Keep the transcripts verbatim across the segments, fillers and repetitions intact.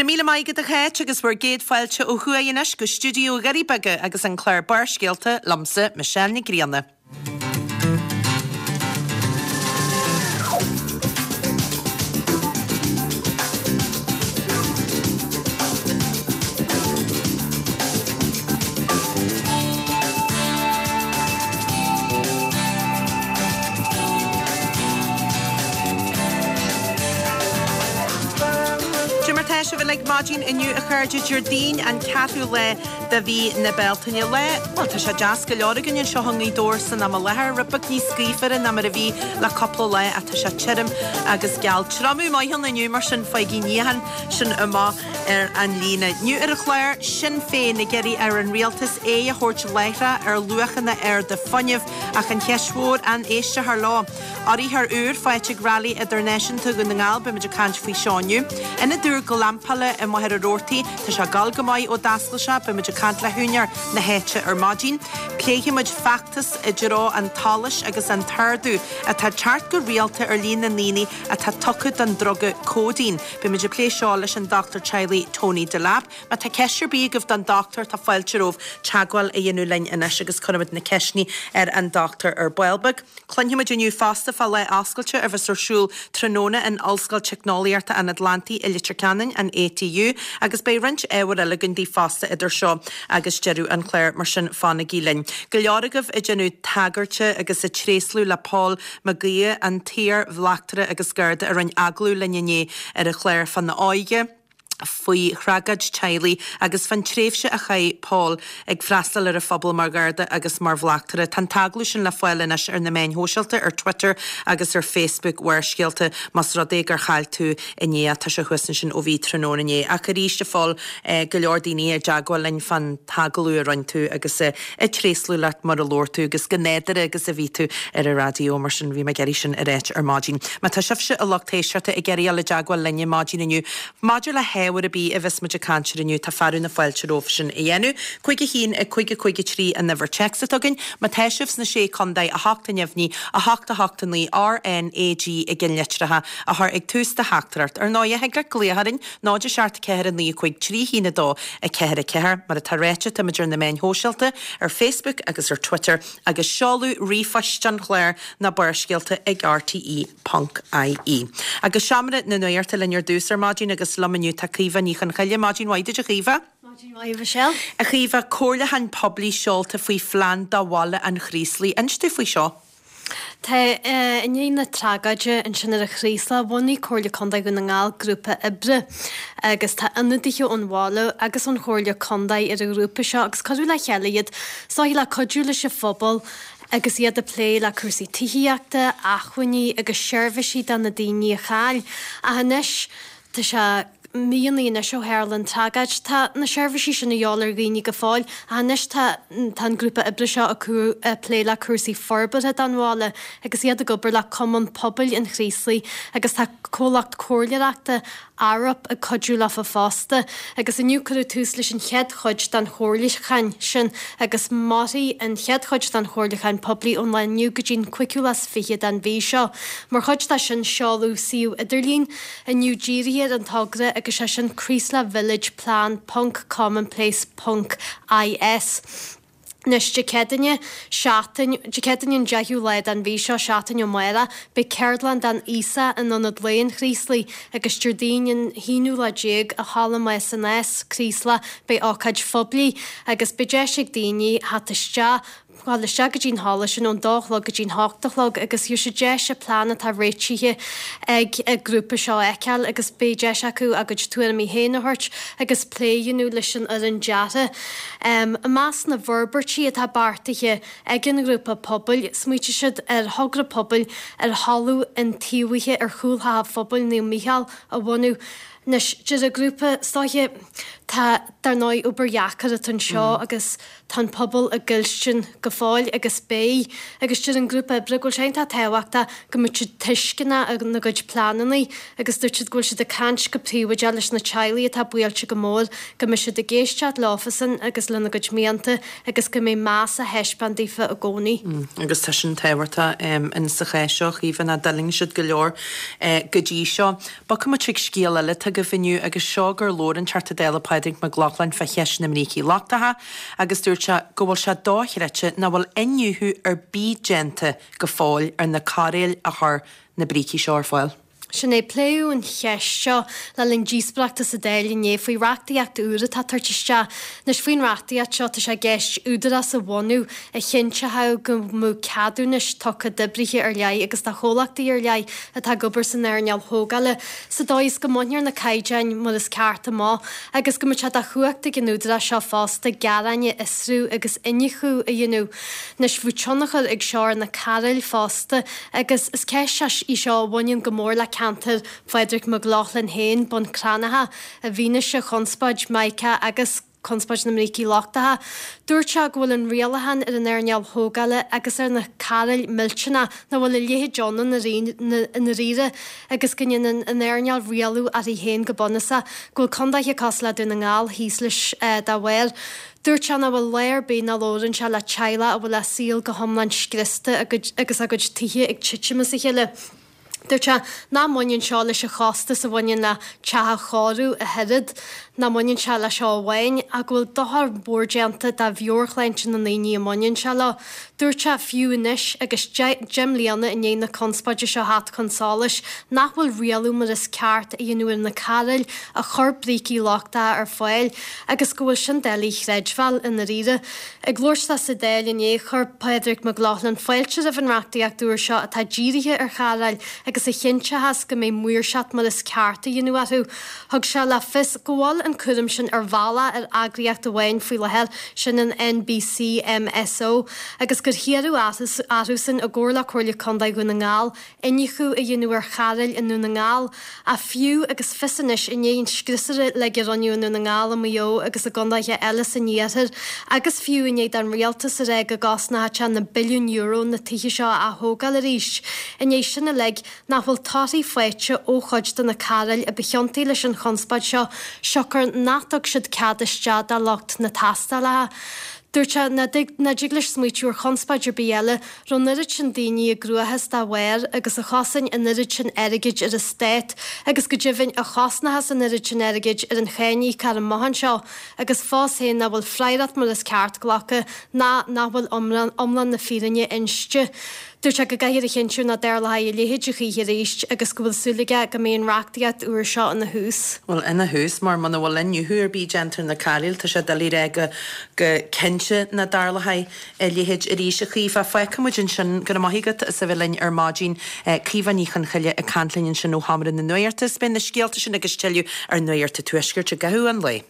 Go raibh míle maith agat a Cháit agus bhur gcéad fáilte ó thuaidh anois go stiúideo Dhoirí Beaga agus an clár Barrscéalta liomsa Michelle Nic Grianna. Cad é mar tá sibh uilig maidin inniu a chairde Déardaoin an ceathrú lá de mhí na Bealtaine lá bhuel tá sé deas go leor againn anseo i nGaoth Dobhair san am i láthair rud beag níos gaofaire ná mar a bhí le cúpla lá ach tá sé tirim agus geal. Triomú maith ann inniu mar sin faighigí níochán sin amach ar an líne. Inniu ar an chlár Sinn Féin ag iarraidh ar an rialtas aghaidh a thabhairt láithreach ar luachanna arda fuinnimh ach an cheist mhór an éistfear leo. Urraithe úr faighte ag Rally Idirnáisiúnta Dhún na nGall beimid ag caint faoi seo inniu. Ionad úr glampála i Machaire Rabhartaigh tá sé ag gabháil go maith ó d'oscail sé beimid ag caint le húinéir na háite ar maidin. Pléifimid feachtas i dtreo an tsolais agus an t-ardú atá teacht go rialta ar líon na ndaoine atá tugtha don druga cóidín. Beimid ag plé seo leis an dochtúir teaghlaigh Tony Delap. Má tá ceist ar bith agaibh don dochtúir tá fáilte romhaibh teagmháil a dhéanamh linn anois agus cuirfimid na ceisteanna ar an dochtúir ar ball beag. Cluinfimid inniu fosta fá lá oscailte a bheas ar siúl tráthnóna in Ollscoil Teicneolaíochta an Atlantaigh i Leitir Ceanainn an ATU agus beidh roinnt ábhar eile againn daoibh fosta idir seo agus deireadh an chláir mar sin fanaigí linn. Go leor agaibh ag déanamh tagairte agus ag tréaslú le Paul Mac Aodha an t-iar-bhleachtaire agus Garda a rinne agallamh linn inné ar an chlár fána óige. faoi thragóid teaghlaigh agus fán tréimhse a chaith Paul ag freastal ar an phobal mar Gharda agus mar bhleachtaire. Tá an t-agallamh sin le fáil anois ar na meáin shóisialta ar Twitter agus ar Facebook Bharrscéalta más rud é gur chaill tú inné tá sé thuas ansin ó bhí tráthnóna inné. Ach arís a Phóil go leor daoine i dteagmháil linn fán t-agallamh a rinne tú agus ag tréaslú leat mar a labhair tú agus go nádúrtha agus a bhí tú ar an raidió mar sin bhí mé ag iarraidh sin a ráit ar maidin. Má tá sibhse a lucht éisteachta ag iarraidh dul i dteagmháil linne maidin inniu maidir le hábhar ar bith a bheas muid ag caint air inniu tá fearadh na fáilte romhaibh sin a dhéanamh. Cúig a haon a cúig a cúig a trí an uimhir téacs atá againn, má tá sibh sna sé chontae a hocht a neamhní a hocht a hocht a naoi RNAG i gceannlitreacha a chur ag tús do theachtaireacht. Ar ndóigh thig leat glaoch orainn náid a seacht ceathair a naoi cúig trí haon a dó a ceathair a ceathair mar atá ráite táimid ar na meáin shóisialta ar Facebook agus ar Twitter agus seoladh ríomhphoist an chláir ná Barrscéalta ag RTE ponc IE. Agus seomra na nuachta linn ar dtús ar maidin agus liom inniu tá Caoimhe Ní Chonchoille maidin mhaith duit a Chaoimhe. Maidin mhaith Michelle. A Chaoimhe comhairliúchán poiblí seolta faoi phlean do bhaile an Chraoslaigh. Inis dúinn faoi seo. Tá i ndiaidh na tragóide ansin ar an Chraoslach, bhunaigh Comhairle Contae Dhún na nGall grúpa oibre agus tá ionadaithe ón bhaile agus ón Chomhairle Contae ar an ghrúpa seo agus cuireadh le chéile iad is dóiche le cuidiú leis an phobal agus iad ag plé le cúrsaí tithíochta, acmhainní agus seirbhísí do na daoine a chaill. Ach anois tá sé míonna anois ó tharla an tragóid. Tá na seirbhísí sin a dhíobháil ar dhaoine go fóill ach anois tá tá an grúpa oibre seo ag plé le cúrsaí forbartha don bhaile agus iad ag obair le Cumann Pobail an Chraoslaigh agus tá comhlacht comhairleoireachta Arup ag cuidiú leofa fosta agus inniu cuireadh tús leis an chéad chuid den chomhairliúchán sin agus mairfidh an chéad chuid den chomhairliúchán poiblí ón lá inniu go dtí an cúigiú lá is fiche den mhí seo. Mar chuid de sin seoladh suíomh idirlín inniu dírithe ar an togra agus sé sin Creeslough Village Plan ponc commonplace ponc IS. Anois Dé Céadaoine, seachtain, Dé Céadaoine an deichiú lá den mhí seo, seachtain ó amárach, beidh ceardlann don aosach in Ionad Lae an Chraoslaigh agus Déardaoin an haonú lá déag i Halla Más an Nás, Craoslach, beidh ócáid phoiblí agus beidh deis ag daoine theacht isteach, dul isteach go dtí an halla sin ón dó a chlog go dtí an hocht a chlog agus gheobhaidh siad deis an plean atá réitithe ag an grúpa seo a fheiceáil agus beidh deis acu a gcuid tuairimí féin a thabhairt agus plé a dhéanamh leis an fhoireann deartha. I measc na bhforbairtí atá beartaithe ag an ghrúpa pobail, smaoitigh siad ar thogra pobail ar thalamh iontaobhaithe ar chúl Theach an Phobail Naomh Mícheál a bhunú. Anois, deir an grúpa, is dóiche, tá, dar ndóigh, obair dheacair atá anseo agus tá an pobal á gcailltean go fóill agus beidh. Agus deir an grúpa oibre go bhfuil sé iontach tábhachtach go mbeadh siad tuisceanach ina gcuid pleananna agus dúirt siad go bhfuil siad ag caint go príobháideach leis na teaghlaigh atá buailte go mór, go mbeidh siad ag éisteacht leofasan agus lena gcuid mianta agus go mbeidh meas á thaispeáint daofa i gcónaí. Agus tá sin tábhachtach in sa chás seo, a Chaoimhe, nach d'fhulaing siad go leor go dtí seo. Bogfaidh muid chuig scéal eile. Tá agaibh inniu agus seo gur labhair an Teachta Dála Pádraig Mac Lochlainn fá cheist na mbrící lochtacha agus dúirt sé go bhfuil sé dochreidte nach bhfuil iniúchadh ar bith déanta go fóill ar na cairéil a chuir na brící seo ar fáil. Sin é pléadh an cheist seo le linn díospóireachta sa Dáil inné faoi reachtaíocht úr atá tagtha isteach. Anois faoin reachtaíocht seo tá sé i gceist údarás a bhunú a chinnteoidh go mbeadh ceadúnais tugtha d'oibrithe ar leith agus do chomhlachtaí ar leith atá ag obair san earnáil thógála sa dóigh is go mbainfear na caighdeáin mar is ceart amach agus go mbeadh sé de chumhacht ag an údarás seo fosta gearáin a fhiosrú agus iniúchadh a dhéanamh. Anois bheadh tionchar ag seo ar na cairéil fosta agus is ceist í seo a bhaineann go mór le ceantar Phádraig Mac Lochlainn féin, Bun Cranncha, i bhfianaise chonspóid Mica agus conspóid na mbrící lochtacha. Dúirt sé go bhfuil an rialachán ar an earnáil thógála agus ar na cairéil millteanach nach bhfuil a leithéid ann i ndáiríre agus go ndéanann an earnáil rialú uirthi féin go bunúsach, go bhfuil contaetha cosúil le Dún na nGall thíos leis dá bharr. Dúirt sé nach bhfuil lá ar bith nach labhrann sé le teaghlach a bhfuil a saol go hiomlán scriosta agus a gcuid tithe ag titim as a chéile. Dúirt sé nach mbaineann seo leis an chostas a bhaineann le teach a chóiriú ach oiread, nach mbaineann sé leis seo amháin, ach go bhfuil dochar mór déanta do mheabhairshláinte na ndaoine a mbaineann sé leo. Dúirt sé fiú anois agus deich mbliana i ndiaidh na conspóide seo theacht chun solais, nach bhfuil rialú mar is ceart a dhéanamh ar na cairéil a chuir brící lochtacha ar fáil agus go bhfuil sin doiligh a chreidbheáil i ndáiríre. Ag labhairt dó sa Dáil inné, chuir Pádraig Mac Lochlainn fáilte roimh an reachtaíocht úr seo atá dírithe ar chairéil agus a chinnteochas go mbeidh maoirseacht mar is ceart á dhéanamh orthu. Thug sé le fios go bhfuil an cúram sin ar bhealach ar eagraíocht amháin faoi láthair, sin an NBCMSO, agus gur hiarradh orthusan i gcomhar le Comhairle Contae Dhún na nGall iniúchadh a dhéanamh ar chairéil i nDún na nGall. Ach fiú agus fios anois i ndiaidh an scriosadh uilig a rinneadh i nDún na nGall, i Maigh Eo agus i gcontaetha eile san iarthar, agus fiú i ndiaidh don rialtas a rá go gcosnódh sé na billiúin euro na tithe seo a ath-thógáil arís, i ndiaidh sin uilig, nach bhfuil torthaí faighte ó chuid de na cairéil a ba chiontaí leis an chonspóid seo, siocair nach dtug siad cead isteach do lucht na tástálacha. Dúirt sé nach dtig leis smaoitiú ar chonspóid ar bith eile raibh an oiread sin daoine i gcruachás dá bharr agus a chosain an oiread sin airgid ar an stát agus go deimhin a chosnóchas an oiread sin airgid ar an cháiníocóir amach anseo agus fós féin nach bhfuil freagracht mar is ceart glactha ná nach bhfuil iomlán na fírinne inste. Dúirt sé go gcaithfear a chinntiú nach dtarlóidh a leithéid a choíche arís agus go bhfuil súil aige go mbeidh an reachtaíocht úr seo ina thús. Bhuel, ina thús, mar muna bhfuil iniúchadh ar bith déanta ar na cairéil, tá sé doiligh a rá go go cinnte nach dtarlóidh a leithéid arís. A Chaoimhe, fágfaidh muid ansin. Go raibh maith agat as a bheith linn ar maidin. Caoimhe Ní Chonchoille ag caint linn ansin ó Sheomra na Nuachta. Is beidh na scéalta sin agus tuilleadh ar Nuacht an Tuaiscirt i gcaitheamh an lae.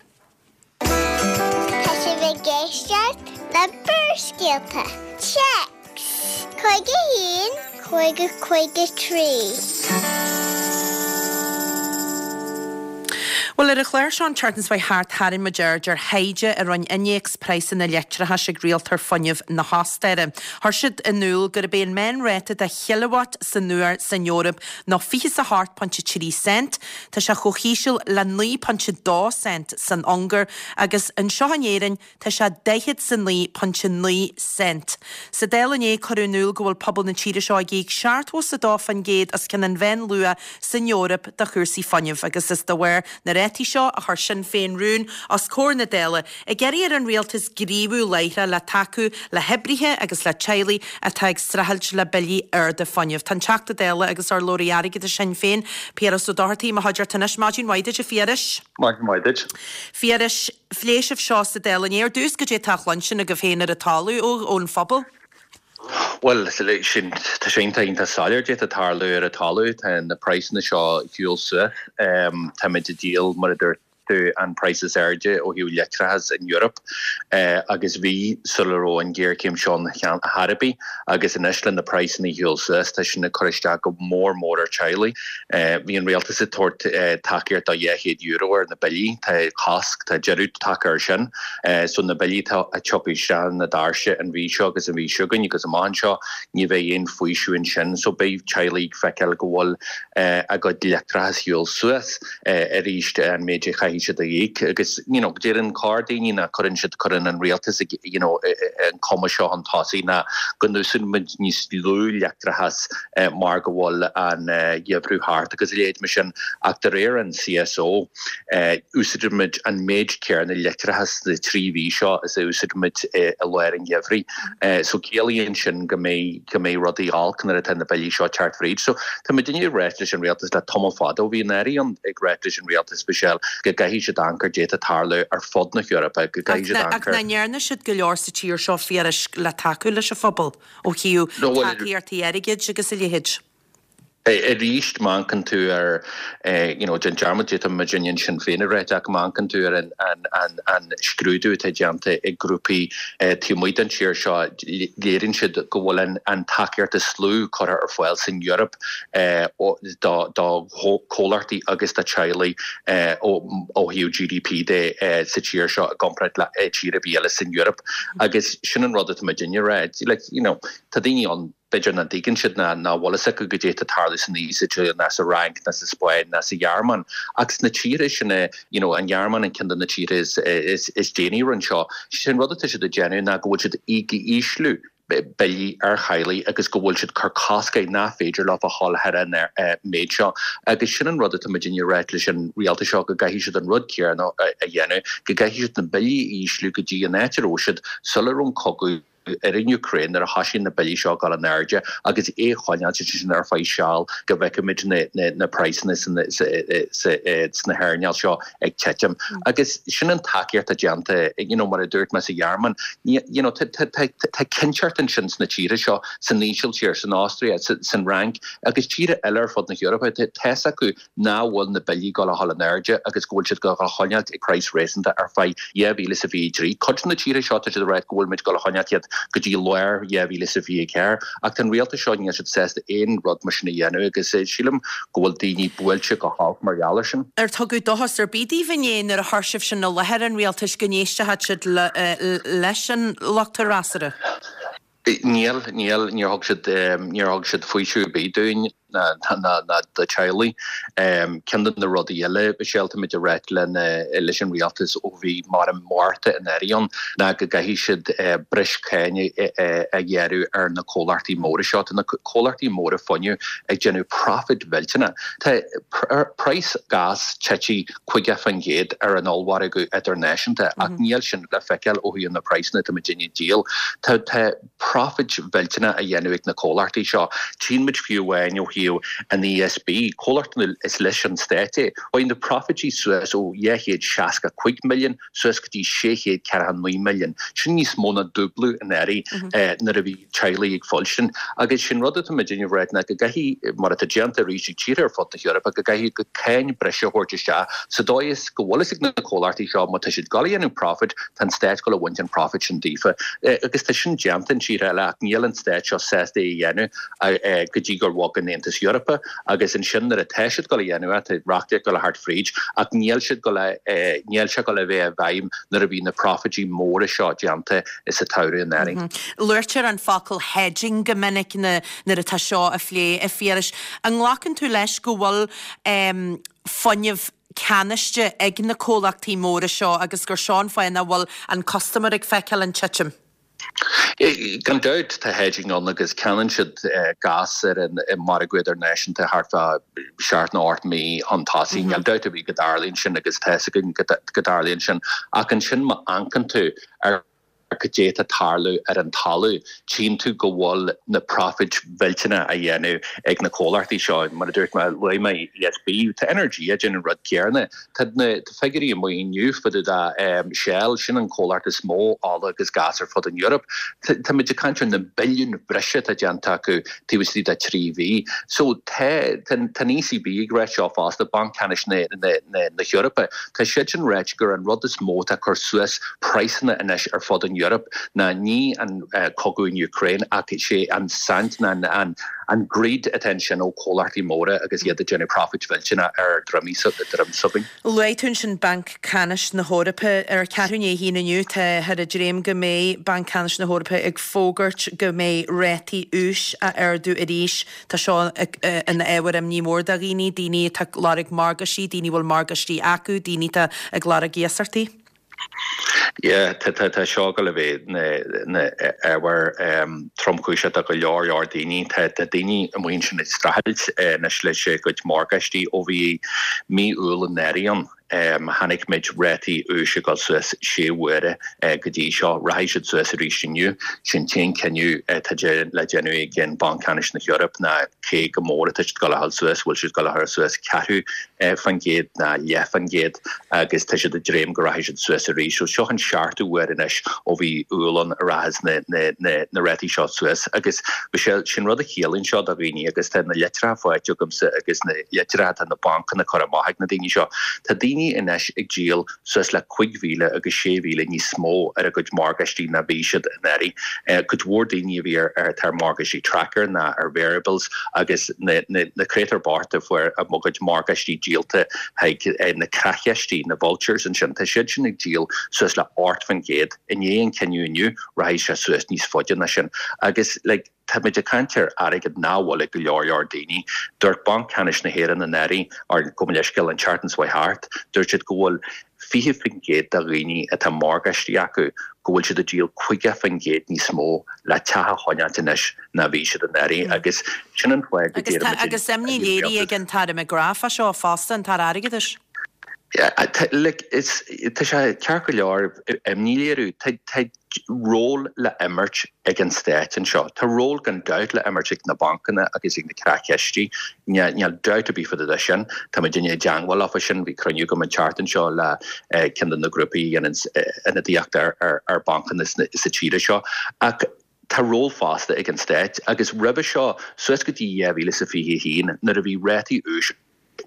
Tá sibh ag éisteacht le Barrscéalta. Téacs, cúig a haon, cúig a cúig a trí. Bhuel, ar an chlár seo an tseachtain seo thart, tharraing muid aird ar thaighde a rinne innéacs praghsanna leictreachais ag rialtóir fuinnimh na hOstaire. Chuir siad in iúl gurb é an meánráta do chileawatt san uair san Eoraip ná fiche is a hocht pointe trí cent. Tá sé chomh híseal le naoi pointe dó cent san Ungáir agus anseo in Éirinn tá sé daichead is a naoi pointe naoi cent. Sa Dáil inné cuireadh in iúl go bhfuil pobal na tíre seo ag íoc seachtó is a dó faoin gcéad os cionn an mheánluach san Eoraip do chúrsaí fuinnimh agus is de bharr na rátaí seo a chuir Sinn Féin rún os comhair na Dála ag iarraidh ar an rialtas gníomhú láithreach le tacú le hoibrithe agus le teaghlaigh atá ag streachailt le billí arda fuinnimh. Tá an Teachta Dála agus urlabhraí airgeadais Shinn Féin, Piaras Ó Dochartaigh, i mo chuideachta anois. Maidin mhaith duit, a Phiarais. Maidin mhaith duit. Phiarais, phléigh sibh seo sa Dáil inné. Ar dtús, goidé atá á chluinstin agaibh féin ar an talamh ón phobal? Bhuel, sin, tá sé iontach iontach soiléir goidé atá ag tarlú ar an talamh. Tá na praghsanna seo ag siúl suas. Táimid ag díol, mar a dúirt tú, an praghas is airde ó thaobh leictreachas in Europe agus bhí sula raibh an ghéarchéim seo ann ar chor ar bith agus anois le na praghsanna ag siúl suas tá sin ag cur isteach go mór mór ar teaghlaigh. Bhí an rialtas ag tabhairt tacaíocht do dhá chéad euro ar na billí, tá cosc, tá deireadh tagtha air sin. So na billí atá ag tiocfaidh isteach na doirse an mhí seo agus an mhí seo chugainn agus amach anseo ní bheidh aon faoiseamh ansin so beidh teaghlaigh ag feiceáil go bhfuil a gcuid leictreachas ag siúl suas arís an méid a chaithfidh gcaithfidh siad a íoc agus you know deireann corr daoine ná cuireann siad cuireann an rialtas you know an cuma seo chun tosaigh ná go n-úsáideann muid níos lú leictreachas mar go bhfuil an geimhreadh thart agus a leithéid mar sin ach de réir an CSO úsáideann muid an méid céanna leictreachas sna trí mhí seo is a úsáideann muid i lár an gheimhridh. So ciallaíonn sin go mbeidh go mbeidh rudaí olc nuair atá na billí seo ag teacht fríd. So tá muid ag ráit leis an rialtas le tamall fada ó bhí an Aire ann ag ráit leis an rialtas Michelle go gcaithfidh siad amharc ar goidé atá ag tarlú ar fud na hEorpa, go gcaithfidh siad Ach amharc ar. nach ndearna siad go leor sa tír seo fíorais le tacú leis an phobal ó thaobh No, well, tacaíochtaí airgid agus a leithéid. Arís má amharcann tú ar you know déan dearmad de tá muid in Sinn Féin a ráit ach má amharcann tú ar an an an an scrúdú atá déanta ag grúpaí taobh amuigh den tír seo léiríonn siad go bhfuil an an tacaíocht is lú curtha ar fáil san Eoraip do do chomhlachtaí agus do teaghlaigh ó ó thaobh GDP de sa tír seo i gcomparáid le tír ar bith eile san Eoraip agus sin an rud atá muid ag ráit like you know tá daoine ann b'fhéidir nach dtuigeann siad ná nach bhfuil fhios acu goidé atá ag tarlú san Ísiltír ná sa Fhrainc ná sa Spáinn ná sa Ghearmáin ach sna tíortha sin you know an Ghearmáin an ceann de na tíortha is is is déanaí anseo sin rud atá siad ag déanamh ná go bhfuil siad ag ísliú billí ar theaghlaigh agus go bhfuil siad cur cosc air nach féidir leo a dhul thar an méid seo agus sin an rud atá muid ag ráit leis an rialtas seo go gcaithfidh siad an rud céanna a dhéanamh go gcaithfidh siad na billí a ísliú go dtí an áit a raibh siad sula raibh an cogadh ar an Ukraine nuair a thosaigh na billí seo ag dul in airde agus é choinneáil sin ar feadh seal go bhfeicfimid na, na, na praghsanna sna hearnáil seo ag titim. Agus sin an tacaíocht déanta you know, mar a dúirt mé sa Ghearmáin you know, tá cinnteacht ansin sna tíortha seo san Ísiltír, san Austria, san Fhrainc agus tíortha eile ar fud na hEorpa tá fhios acu nach bhfuil na billí ag dul in airde agus go bhfuil siad go choinneáil ag praghas réasúnta ar feadh dhá mhíle is a fiche trí. Cuid na tíortha seo tá siad rá go bhfuil muid ag choinneáil iad go dtí lár dhá mhíle is a fiche ceathair ach an rialtas seo níl siad sásta aon rud mar sin a dhéanamh agus sílim go bhfuil daoine buailte go holc mar gheall air sin. Ar tugadh dóchas ar bith daoibh inné nuair a chuir sibh sin i láthair an rialtais go n-éistfeadh siad leis an lucht freasúra. Níl níl níor thug siad níor thug siad faoiseamh ar bith dúinn ná ná do teaghlaigh. Ceann de na rudaí eile táimid ag ráit le leis an rialtas ó bhí mar an Márta an éiríonn ná go gcaithfidh siad breis cáin a ghearradh ar na comhlachtaí móra seo na comhlachtaí móra fuinnimh ag déanamh profit millteanach. Tá praghas gas tite caoga faoin gcéad ar an ollmhargadh idirnáisiúnta ach níl sin le feiceáil ó thaobh na praghsanna tá muid ag díol. Tá tá profit millteanach á dhéanamh ag na comhlachtaí seo. Tchímid fiú amháin ó thaobh an ESB comhlacht is leis an stát é Chuaigh na profití suas ó dhá chéad seasca cúig milliún suas go dtí sé chéad ceathracha naoi milliún. Sin níos mó ná dúblú an éirí nuair a bhí teaghlaigh ag fáil agus sin rud atá muid ag ráit ná go gcaithfidh mar atá déanta arís ag tíortha ar fud na hEorpa go gcaithfidh go cáin breise a thabhairt isteach sa dóigh is go bhfuil ag na comhlachtaí seo má tá siad ag déanamh profit tá an stát ag baint an profit sin díofa agus tá sin déanta in tíortha eile ach níl an stát seo sásta é a dhéanamh go dtí gur bhog an Aontas Eorpach agus ansin nuair atá siad ag déanamh tá reachtaíocht ag teacht fríd ach níl siad go níl sé go le bheith i bhfeidhm nuair a bhí na profití móra seo déanta is a taú an éirí. Luaitear an focal hedging go minic na nuair atá seo á phlé a Phiarais. An nglacann tú leis go bhfuil um, fuinneamh ceannaithe ag na comhlachtaí móra seo agus gur seo an fáth nach bhfuil an custaiméir ag feiceáil an titim. Gan dabht tá hedging ann agus ceannaíonn siad gas ar an margadh idirnáisiúnta thart fá seacht nó ocht mí chun tosaigh níl dabht ar bith go dtarlaíonn sin agus tá go dtarlaíonn sin ach ansin má amharcann tú ar goidé atá ag tarlú ar an talamh tchíonn tú go bhfuil na profit millteanach á dhéanamh ag na comhlachtaí seo mar a dúirt mé luaigh mé ESB tá Energia ag déanamh an rud céanna Tá na figiúirí amuigh inniu fá dtaobh de Shell sin an comhlacht is mó ola agus gas ar fud an Eoraip Tá muid ag caint ar na billiún breise atá déanta acu taobh istigh de trí mhí. So tá tá ECB ag rá seo fosta Banc Ceannais na na na hEorpa Tá siad sin ag rá gur an rud is mó atá ag cur suas praghsanna anois ar fud an Eoraip ná ní an cogadh in Ukraine ach sé an saint ná an an greed atá ansin ó comhlachtaí móra agus iad ag déanamh profit mhillteanach ar dhroim droim s'againn. Luaigh tú ansin Banc Ceannais na hEorpa ar ceathrú i ndiaidh a haon inniu táthar ag dréim go mbeidh Banc Ceannais na hEorpa ag fógairt go mbeidh rátaí úis á ardú arís. Tá seo ina ábhar imní mór do dhaoine, daoine atá ag lorg morgáistí, daoine a bhfuil morgáistí acu, daoine atá ag lorg iasachtaí. Yeah, tá tá tá seo go le bheith ina ábhar tromchúiseach do go leor leor daoine tá tá daoine amuigh ansin ag streachailt anois leis a gcuid morgáistí ó bhí mí Iúil anuraidh ann. Chonaic muid rátaí úis ag dul suas sé huaire go dtí seo. Rachaidh siad suas arís inniu. Sin t-aon cinneadh atá le déanamh ag an Banc Ceannais na hEorpa ná cé go mór atá siad ag dul a dhul suas, bhfuil siad ag dul a chur suas ceathrú faoin gcéad ná leath faoin gcéad agus tá siad ag dréim go rachaidh siad suas arís. So seo an seachtú huair anois ó bhí Iúil ann a rachas na na na na rátaí seo suas agus Michelle sin rud a chiallaíonn seo do dhaoine agus tá na litreacha faighte agamsa agus na litreacha atá na bancanna curtha amach ag na daoine seo. Tá daoine anois ag díol suas le cúig mhíle agus sé mhíle níos mó ar a gcuid morgáistí ná bhí siad anuraidh. Cuid mhór daoine a bhí ar ar ar morgáistí tracker ná ar variables agus na na na créatúir bochta fuair a gcuid morgáistí díolta chuig na creachchistí, na vultures ansin. Tá siad sin ag díol suas le ocht faoin gcéad. I ndiaidh an cinneadh inniu, rachaidh sé suas níos faide ná sin. Agus like, táimid ag caint ar airgead nach bhfuil ag go leor leor daoine. Dúirt Banc Ceannais na hÉireann anuraidh, or gabh mo leithscéal an tseachtain seo thart, dúirt siad go bhfuil fiche faoin gcéad de dhaoine atá morgáistí acu go bhfuil siad ag díol caoga faoin gcéad níos mó le teach a choinneáilt anois ná bhí siad anuraidh agus sin an fáth go Agus tá agus imní léirithe ag an tAire McGrath fá seo fosta, an tAire Airgeadais. Like, is tá sé ceart go leor imní a léiriú. Tá tá ról le imirt ag an stát anseo. Tá ról gan dabht le imirt ag na bancanna agus ag na creachchistí. Níl dabht ar bith fá dtaobh de sin. Tá muid i dteagmháil leofa sin, bhí cruinniú agam an tseachtain seo le ceann de na grúpaí a dhéanann ionadaíocht ar ar ar bancanna sa tíre seo. Ach tá ról fosta ag an stát agus roimhe seo suas go dtí dhá mhíle is a fiche a haon nuair a bhí rátaí úis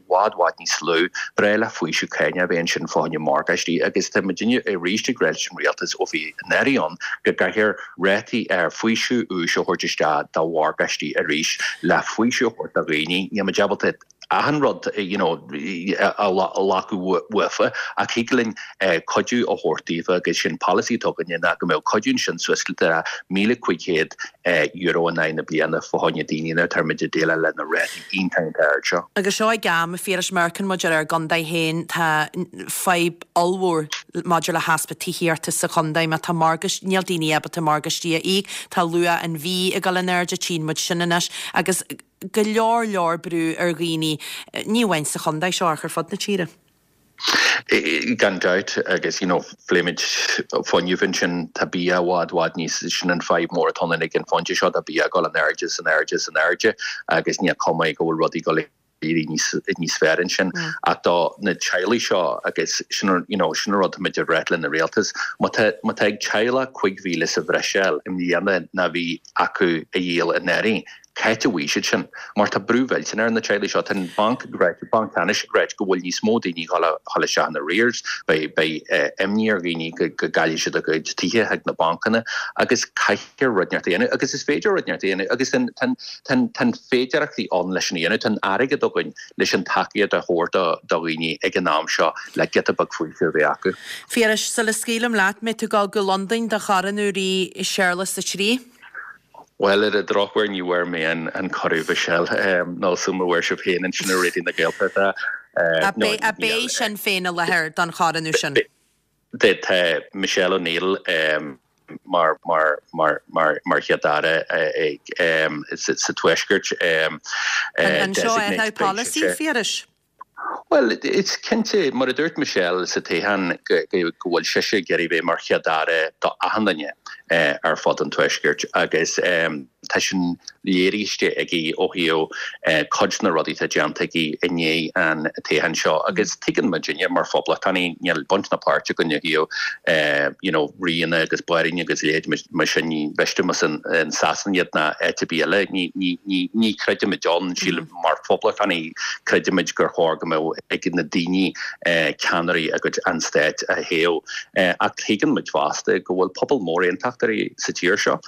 bhfad bhfad níos lú, ba bhreá le faoiseamh cáin a bheith ansin fá choinne morgáistí agus tá muidinne arís ag rá leis an rialtas ó bhí anuraidh ann go gcaithfear rátaí ar faoiseamh úis a thabhairt isteach do mhorgáistí arís le faoiseamh a thabhairt do dhaoine. Níl muid ábalta achan rud you know, a ghlacadh uafa ach thig linn cuidiú a thabhairt daofa agus sin polasaí atá againne ná go mbeadh cuidiú ansin suas le míle cúig chéad euro in aghaidh na bliana fá choinne daoine nuair atá muid ag déileáil le na rátaí iontach iontach ard seo. Agus seo ag am, a Phiarais, má amharcann muid ar ár gcontae féin, tá fadhb ollmhór maidir le heaspa tithíochta sa chontae. Má tá morgáist, níl daoine ábalta morgáistí a íoc, tá luach an bhídh ag dul in airde, tchíonn muid sin anois agus go leor leor brú ar dhaoine, ní amháin sa chontae seo ach ar fud na tíre. Gan dabht agus you know phléigh muid fuinneamh ansin tá bia i bhfad bhfad níos sin an fadhb mór atá ann ag an phointe seo tá bia ag dul in airde is in airde is in airde agus níl cuma go bhfuil rudaí ag dul éirí níos níos fearr ansin ach do na teaghlaigh seo agus sin you know sin an rud táimid ag rá lena rialtas má tá má tá ag teaghlach cúig mhíle sa bhreis i mbliana ná bhí acu a dhíol anuraidh C'áit a bhfaighidh siad sin? Mar tá brú mhillteanach ar na teaghlaigh seo. Tá an banc ag ráit, Banc Ceannais ag ráit go bhfuil níos mó daoine ag dul a dhul isteach in arrears, beidh beidh imní ar dhaoine go go gcaillfidh siad a gcuid tithe chuig na bancanna agus caithfear rud inteacht a dhéanamh agus is féidir rud inteacht a dhéanamh agus tá an tá an tá an féidearthachtaí ann leis sin a dhéanamh. Tá an airgead againn leis an tacaíocht a thabhairt do do dhaoine ag an am seo le giota beag faoisimh a bheith acu. Phiarais, sula scaoilim leat, mbeidh tú ag dul go Londain do chorónú Rí Séarlas a Trí? Bhuel, ar an drochuair ní bhfuair mé an cuireadh, Michelle, nó sula bhfuair sibh féin ansin ar Raidió na Gaeltachta. A beidh Sinn Féin i láthair don chorónú sin? Tá Michelle O'Neill mar mar mar mar mar Chéad-Aire sa Tuaisceart. An seo athrú polasaí, a Phiarais? Bhuel, is cinnte, mar a dúirt Michelle sa toghchán, go bhfuil sise ag iarraidh bheith mar Chéad-Aire do achan duine ar fud an Tuaiscirt agus Tá sin léirithe aige ó thaobh cuid de na rudaí atá déanta aige i ndiaidh an toghcháin seo agus tuigeann muidinne mar phoblachtánaigh níl baint ná páirt againn ó thaobh you know ríonna agus bairíní agus a leithéid mar sin ní mhiste más in Sasana iad ná áit ar bith eile ní ní ní ní chreidimid ann sílim mar phoblachtánaigh creidimid gur chóir go mbeadh ag na daoine ceannairí a gcuid an stáit a thoghadh ach tuigeann muid fosta go bhfuil pobal mór aontachtóirí sa tír seo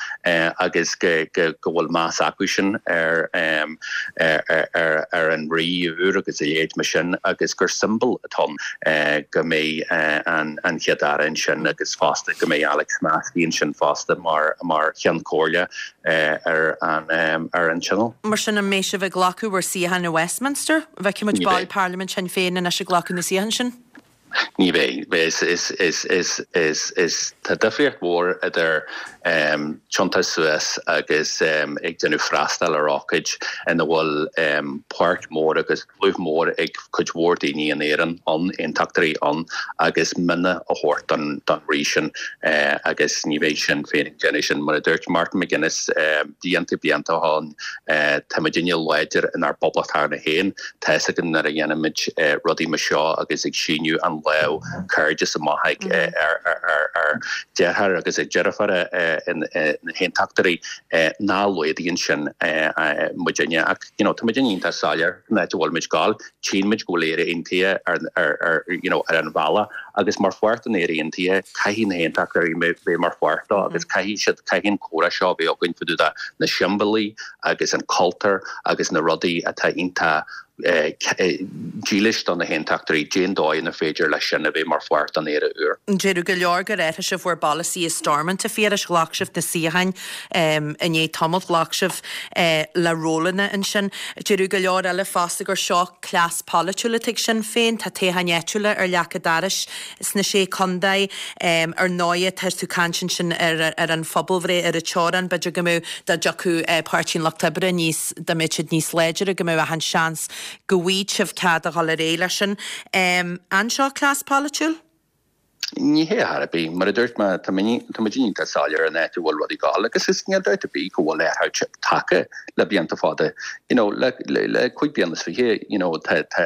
agus go go go bhfuil meas acu sin ar ar ar an rí úr agus a leithéid mar sin agus gur siombail atá ann go mbeidh an an Chéad Aire ansin agus fosta go mbeidh Alex Maskey ansin fosta mar mar Cheann Comhairle ar an ar an Tionól. Mar sin an mbeidh sibh ag glacadh bhur suíocháin i Westminster? Feicfidh muid baill Parlaimint Shinn Féin anois ag glacadh na suíochán sin? Ní bheidh. Is, is, is, is, is, is, tá difríocht mhór idir um, tiontú suas agus um, ag déanamh freastal ar ócáid ina bhfuil um, páirt mhór agus dlúth mór ag cuid mhór daoine in Éirinn ann, aontachtóirí ann, agus mionn a thabhairt don, don rí sin uh, agus ní bheidh Sinn Féin ag déanamh sin. Mar a dúirt Martin McGuinness um, blianta blianta ó shin uh, tá muidinne láidir inár bpoblacht féin, tá a fhios againn nuair a dhéanaimid uh, rudaí mar seo agus ag síniú an lámh cairdis amach ag ar ar deartháir agus ag deirfiúr na haontachtóirí ná laghdaíonn sin muidinne ach you know tá muidinne iontach soiléir an áit a bhfuil muid ag gabháil tchíonn muid go bhfuil Éire Aontaithe ar ar you know ar an bhealach agus mar pháirt den Éire Aontaithe caithfidh na haontachtóirí bheith mar pháirt dó agus caithfidh siad caithfidh an comhrá seo bheith againn fá dtaobh de na siombailí agus an cultúr agus na rudaí atá iontach dílis do na haontachtóirí cén dóigh inar féidir leis sin a bheith mar pháirt den Éire úr. Deireadh go leor gur athraigh sibh bhur bpolasaí i Stormont a Phiarais ghlac sibh na suíocháin i ndiaidh tamaill ghlac sibh le rólanna ansin. Deireadh go leor eile fosta gur seo cleas polaitiúil atá ag Sinn Féin, tá toghcháin áitiúla ar leac an dorais sna sé contae ar ndóigh tá tú ag caint ansin ar ar an phobalbhreith ar an teorainn b'fhéidir go mbeadh dá dtiocfadh Páirtí an Lucht Oibre níos dá mbeadh siad níos láidre go mbeadh achan seans go bhfaighidh sibh cead a dhul ar aghaidh leis sin. An seo cleas polaitiúil? Ní hé ar bith, mar a dúirt mé, tá muid iontach soiléir an áit a bhfuil rudaí ag gabháil agus is níl dabht ar bith go bhfuil athrú tagtha le blianta fada. You know, le, le, le cúig bliana is fiche, you know, tá, tá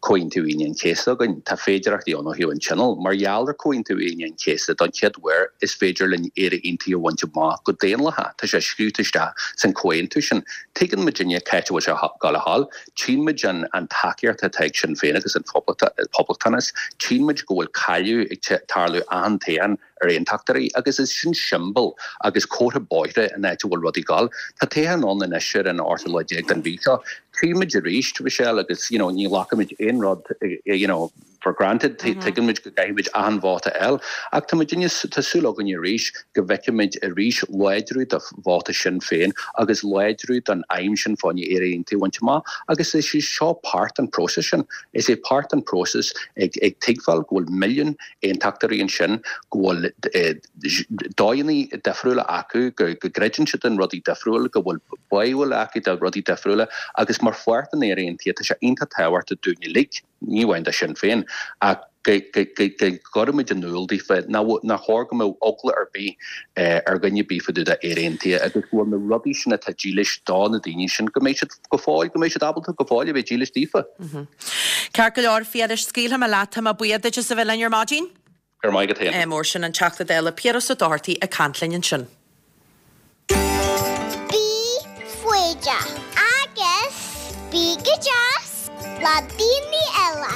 Comhaontú Aoine an Chéasta againn, tá féidearthachtaí ann ó thaobh an Tionóil. Mar gheall ar Comhaontú Aoine an Chéasta don chéad uair is féidir linn Éire Aontaithe a bhaint amach go daonlathach. Tá sé scríofa isteach san comhaontú sin. Tuigeann muidinne cá háit a bhfuil sé ag gabháil a ghabháil, tchíonn muid an, an tacaíocht atá ag Sinn Féin agus an Poblachtánas, tchíonn muid go bhfuil cailleadh ag tarlú achan toghchán ar aontachtóirí agus is sin siombail agus comhartha bóithre an áit a bhfuil rudaí ag gabháil. Tá toghchán ann anois ar an ochtú lá déag den mhí seo. Tchíonn muid arís, Michelle, agus you know, ní ghlacaimid aon rud you know, for granted, tuigeann muid go gcaithfimid achan vóta a fháil, ach tá muidinne, tá súil againn arís go bhfeicfimid arís láidriú do vóta Sinn Féin agus láidriú don aidhm sin fá choinne Éire Aontaithe a bhaint amach agus is é seo páirt den próiseas sin. Is é páirt den próiseas ag ag tuigbheáil go bhfuil milliún aontachtóirí ansin, go bhfuil dóigheanna difriúla acu, go go gcreideann siad in rudaí difriúla, go bhfuil báúil acu do rudaí difriúla agus mar pháirt den Éire Aontaithe tá sé iontach tábhachtach dúinn uilig, ní amháin do Sinn Féin, ach go gcuirimid in iúl daofa nach chóir go mbeadh eagla ar bith ar dhuine ar bith fá dtaobh d'Éire Aontaithe agus go bhfuil na rudaí sin atá dílis do na daoine sin, go mbeidh siad go fóill, go mbeidh siad ábalta go fóill a bheith dílis daofa. Ceart go leor, Phiarais, scaoilfidh mé leat, tá mé buíoch duit as a bheith linn ar maidin. Go raibh maith agat féin. Mór sin an Teachta Dála Piaras Ó Dochartaigh ag caint linn ansin. Bí foighdeach agus bí go deas le daoine eile.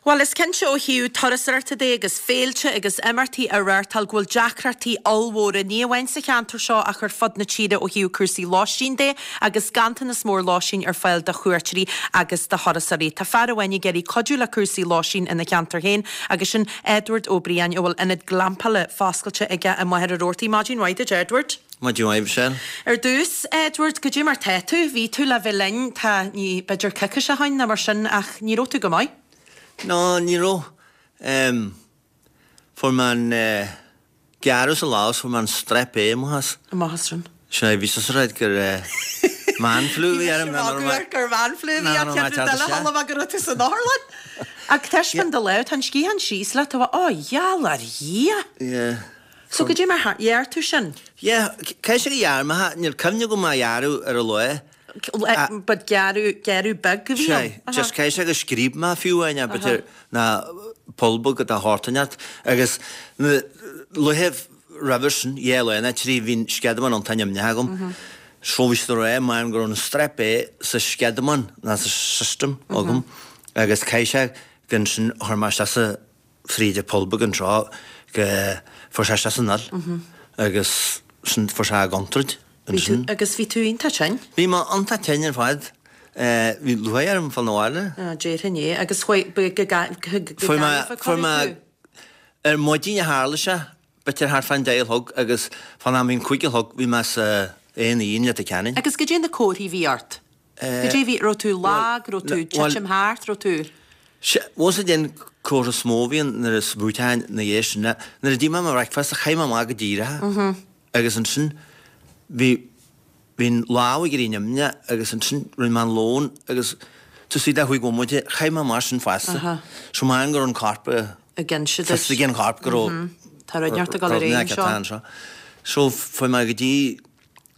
Bhuel, is cinnte ó thaobh turasóireachta de agus féilte agus imeachtaí a reáchtáil go bhfuil deacrachtaí ollmhóra, ní amháin sa cheantar seo ach ar fud na tíre ó thaobh cúrsaí lóistín de agus ganntanas mór lóistín ar fáil do chuairteoirí agus do thurasóirí. Tá fear amháin ag iarraidh cuidiú le cúrsaí lóistín ina cheantar féin agus sin Edward Ó Briain a bhfuil ionad glampála foscailte aige i Machaire Rabhartaigh. Maidin mhaith duit, Edward. Maidin mhaith, Michelle. Ar dtús, Edward, goidé mar tá tú? Bhí tú le bheith linn, tá, ní, b'fhéidir coicís ó shin nó mar sin ach ní raibh tú go maith. No, ní raibh. Fuair mé an gearradh sa lámh is fuair mé an strep A amach as. Amach as sin. Sea, bhí mise ag rá gur man flu a bhí orm. Bhí mise ag magadh gur man flu a bhí ort, cheap rud eile chuala mé go raibh tú san otharlann. Ach taispeáin do lámh, tá an sciathán síos leat, tá, ó, gheall ar Dhia! Yeah. So goidé mar a ghearr tú sin? Yeah, caithfidh sé gur ghearr mé, níl cuimhne agam má gearradh ar an lá. But gearradh, gearradh beag a bhí ann? Sea, just caithfidh sé gur scríob mé fiú amháin, b'fhéidir, ná poll beag de shórt inteacht. Agus na laethe roimhe sin, dhá lá nó trí, bhí an sceadamán iontach nimhneach agam. So bhí siad ag rá, maram go raibh an strep A sa sceadamán ná sa system agam agus caithfidh sé gur ansin a chuir mé isteach sa fríd an poll beag anseo go fuair sé isteach san fhuil agus sin fuair sé i gcontúirt ansin. Agus bhí tú iontach tinn? Bhí mé iontach tinn ar fad. Bhí lúcháir orm fáil 'na bhaile. Déarfainn é. Agus chuaigh, go Gaillimh a cuireadh tú? Ar maidin a tharla sé, b'fhéidir thart fán deich a chlog agus fán am bhí an cúig a chlog bhí mé sa A and E i Leitir Ceanainn. Agus goidé na comharthaí a bhí ort? Goidé bhí, raibh tú lag, raibh tú titim thart, raibh tú. Sea, bhuel is é an comhartha is mó a bhíonn nuair is bhuaiteáin na dhiaidh sin ná nuair a d'ith mé mo bhreicfeasta chaith mé amach go díreach é agus ansin bhí bhí an lámh ag éirí nimhneach agus ansin rinne mé an lón agus taobh istigh de chúig bhomaite chaith mé amach sin fosta. So measaim go raibh an corp ag inse duit. Fios ag an chorp go raibh Tá rud inteacht ag dul ar aghaidh anseo. So fuair mé go dtí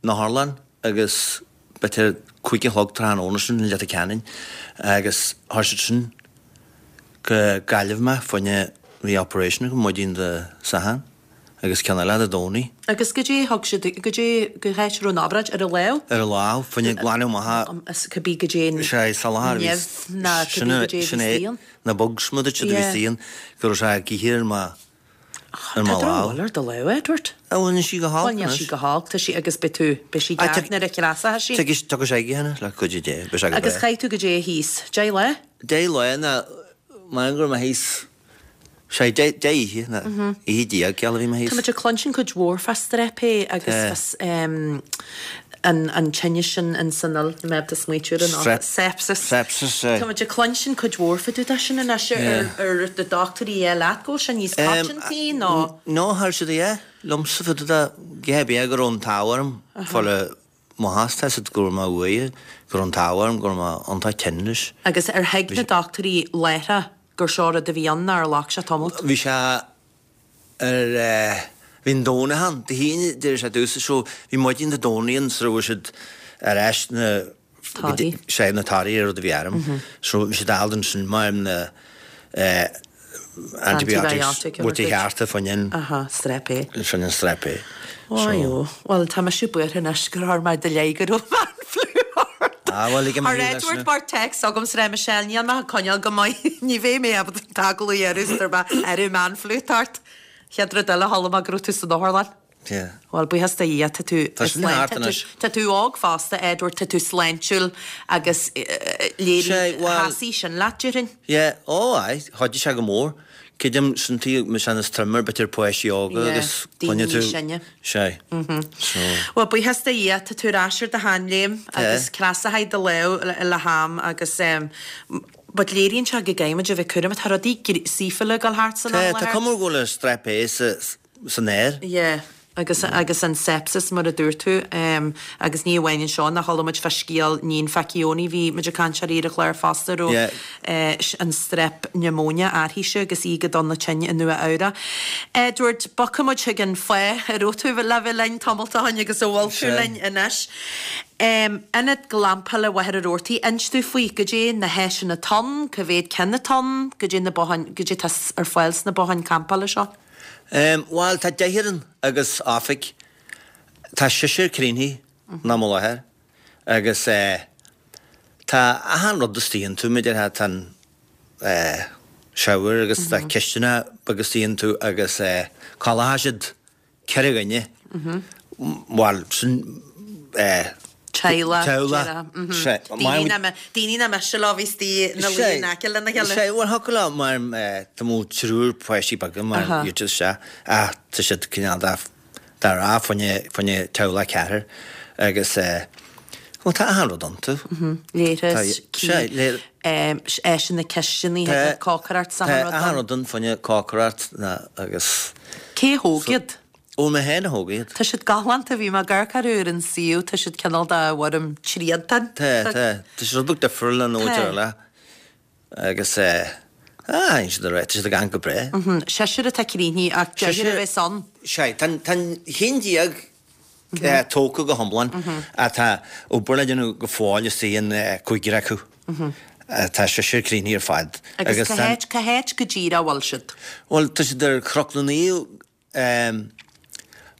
an otharlann agus b'fhéidir cúig a chlog tráthnóna sin i Leitir Ceanainn agus chuir siad sin go Gaillimh mé fá choinne bhí operation agam maidin Dé Sathairn agus ceann eile Dé Domhnaigh. Agus goidé thug siad, goidé, cá háit a raibh an obráid, ar an lámh? Ar an lámh, fá choinne glanadh amach. Is cibé goidé an Sea, salachar a bhí, nimh ná cibé goidé a bhí sin é, istigh ann. na bugs mar a dúirt siad a bhí istigh ann, go raibh sé ag ithe ar mo Tá drochbhail ar do lámh, Edward. Á, bhuel, níl sí go holc Bhuel, níl anois. sí go holc, tá sí agus beidh tú, beidh sí Ah, ceart nuair a chreasfaidh sí. Tiocfaidh tiocfaidh sé chuige anois, le cuidiú Dé, beidh sé go Agus breá. chaith tú goidé thíos? Deich lá? Deich lá ná, measaim go raibh mé thíos, sé, deich, deich oíche, ná oíche déag, ceal a bhí mé Tá thíos. muid ag cluinstin cuid mhór fá strep A agus Tá. fá, em, an, an tinneas sin in san fhuil, níl mé ábalta smaoitiú air anocht. Strep. Sepsis. Sepsis, aye. Tá muid ag cluinstin cuid mhór fá dtaobh de sin anois ar, Yeah. ar na dochtúirí a rá leat go bhfuil sé níos coitianta nó? No, cha raibh siad a rá liomsa fá dtaobh de, cé bith go raibh an t-ádh orm fáil amach as, tá siad go raibh mé uaidh, go raibh an t-ádh orm, go raibh mé iontach tinn leis. Agus ar thuig na dochtúirí láithreach gur seo rud a bhí ann nó ar ghlac sé tamalt? Bhí sé ar eh, bhí an Domhnach ann, Dé hAoine d'éirigh sé domhsa so bhí maidin Dé Domhnaigh ann sula raibh siad ar ais na Torthaí. sé na torthaí ar rud a bhí orm. So bhí siad ábalta ansin mar na eh, antibiotics Antibiotic a bhfuil thabhairt. chearta fá choinne Aha, strep A. fá choinne an strep A. Ó jó, bhuel tá mise buartha anois gur chuir mé i do leith go raibh man flu ort. Ah, bhuel, lig mé Ar thú leis Edward na- mar text agam sa Michelle, níl mé ag coinneáil go maith, ní bheidh mé ábalta an t-agallamh a dhéanamh is mé ar man flu ort. Chéad rud eile chuala mé go raibh tú san otharlann. Yeah. Bhuel, buíochas do Dhia, tá tú Tá sin thart anois. Tá tú óg fosta, Edward, tá tú sláintiúil agus léiríonn Sé, bhuel- sheasaigh sin leat, déarfainn. Yeah, ó aye, chuidigh sé go mór. Creidim sin tí me sin is troime b'fhéidir páistí óga Yeah, agus daoine coinne tú. níos sine. Sé. So, Bhuel, buíochas do Dhia, tá tú ar ais ar do sheanléim agus creasfaidh do lámh le, le ham agus um, but léiríonn sé go gcaithfimid a bheith cúramach, tá rudaí saofa ag dul thart san tá am tá láthair. cuma go bhfuil an strep A sa san aer. Yeah. Agus, agus an sepsis mar a dúirt tú um, agus ní amháin anseo nach chuala muid fá scéal Níon Facchioni bhí muid ag caint ar ar an chlár fosta raibh Yeah. eh, an strep pneumonia uirthise agus í go dona tinn i Nua Eabhrac. Edward bogfaidh muid chuig an fáth a raibh tú le bheith linn tamall ó shin agus a bhfuil tú Sea. linn anois. Um, Ionad glampála Mhachaire Rabhartaigh, inis dúinn faoi goidé na háiseanna atá ann, cá mhéad ceann atá ann, goidé na botháin, goidé tá ar fáil sna botháin campála seo. Um, Bhuel, tá deichniúr ann agus oifig. Tá seisear cruinnithe na mo láthair agus eh, tá achan rud istigh iontu maidir le tá an eh, shower agus tá cisteanach beag istigh iontu agus eh, codlóidh siad ceithre dhuine. Bhuel, sin eh, Teaghlach. Teaghlach. Mhm. Sé, Daoine nach mbe- daoine nach mbeadh leo bhí istigh ina luí in aice lena chéile. Sé, bhuel thiocfadh leo mar eh, tá mó triúr páistí beaga mar Aha. iad sé ach tá siad cineál dá dá rá fá choinne fá choinne teaghlach ceathrar agus eh, bhuel tá achan rud iontu. Leithreas, Tá- sé, le- áiseanna cisteanaí Tá- cócaireacht Tá sa achan rud ann fá choinne cócaireacht na agus Cé thóg iad? ó mé féin a thóg iad. Tá siad galánta bhí mé ag amharc orthu ar an suíomh, tá siad cineál de bhfoirm triantán. Tá tá tá siad rud beag difriúil ná Tá. eile agus eh, Ah, siad ar tá siad ag amharc go breá. Seisear atá críochnaithe ach deichniúr a bheas ann. Sea, tá an haon déag tógtha go hiomlán ach tá obair le déanamh go fóill istigh in cúigear acu. Tá seisear críochnaithe ar fad. Agus cá háit, cá háit go díreach a bhfuil siad? Bhuel, tá siad ar Chnoc na Naomh,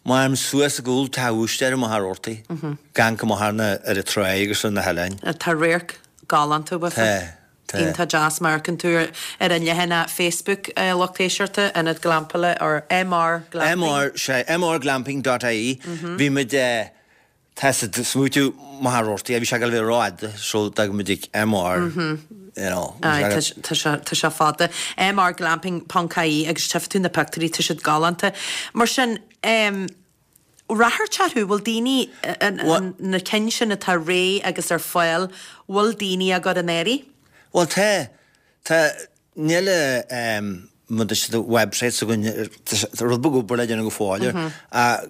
maram suas i gcúl Teach Bhúistéir i Machaire Rabhartaigh, ag amharc amach ar na, ar an tráigh agus ar na hoileáin. Tá radharc galánta uafa. Tá. Tá. Iontach deas má amharcann tú ar an leathanach Facebook lucht éisteachta, Ionad Glampála or MR Glamping. MR, sea, mrglamping dot ie. Bhí muid, tá siad ag smaoitiú Machaire Rabhartaigh, bhí sé ag dul a bheith rófhada so d'fhág muid ag MR, you know. Aye, tá sé, tá sé fada. mrglamping ponc ie agus tchífidh tú na pictiúirí, tá siad galánta. Mar sin, Ráchairt orthu, bhfuil daoine, na cinn sin atá réidh agus ar fáil, bhfuil daoine á gcur in áirithe? Bhuel tá, tá, níl muid is the website s'againn, tá rud beag obair le déanamh go fóill air, ach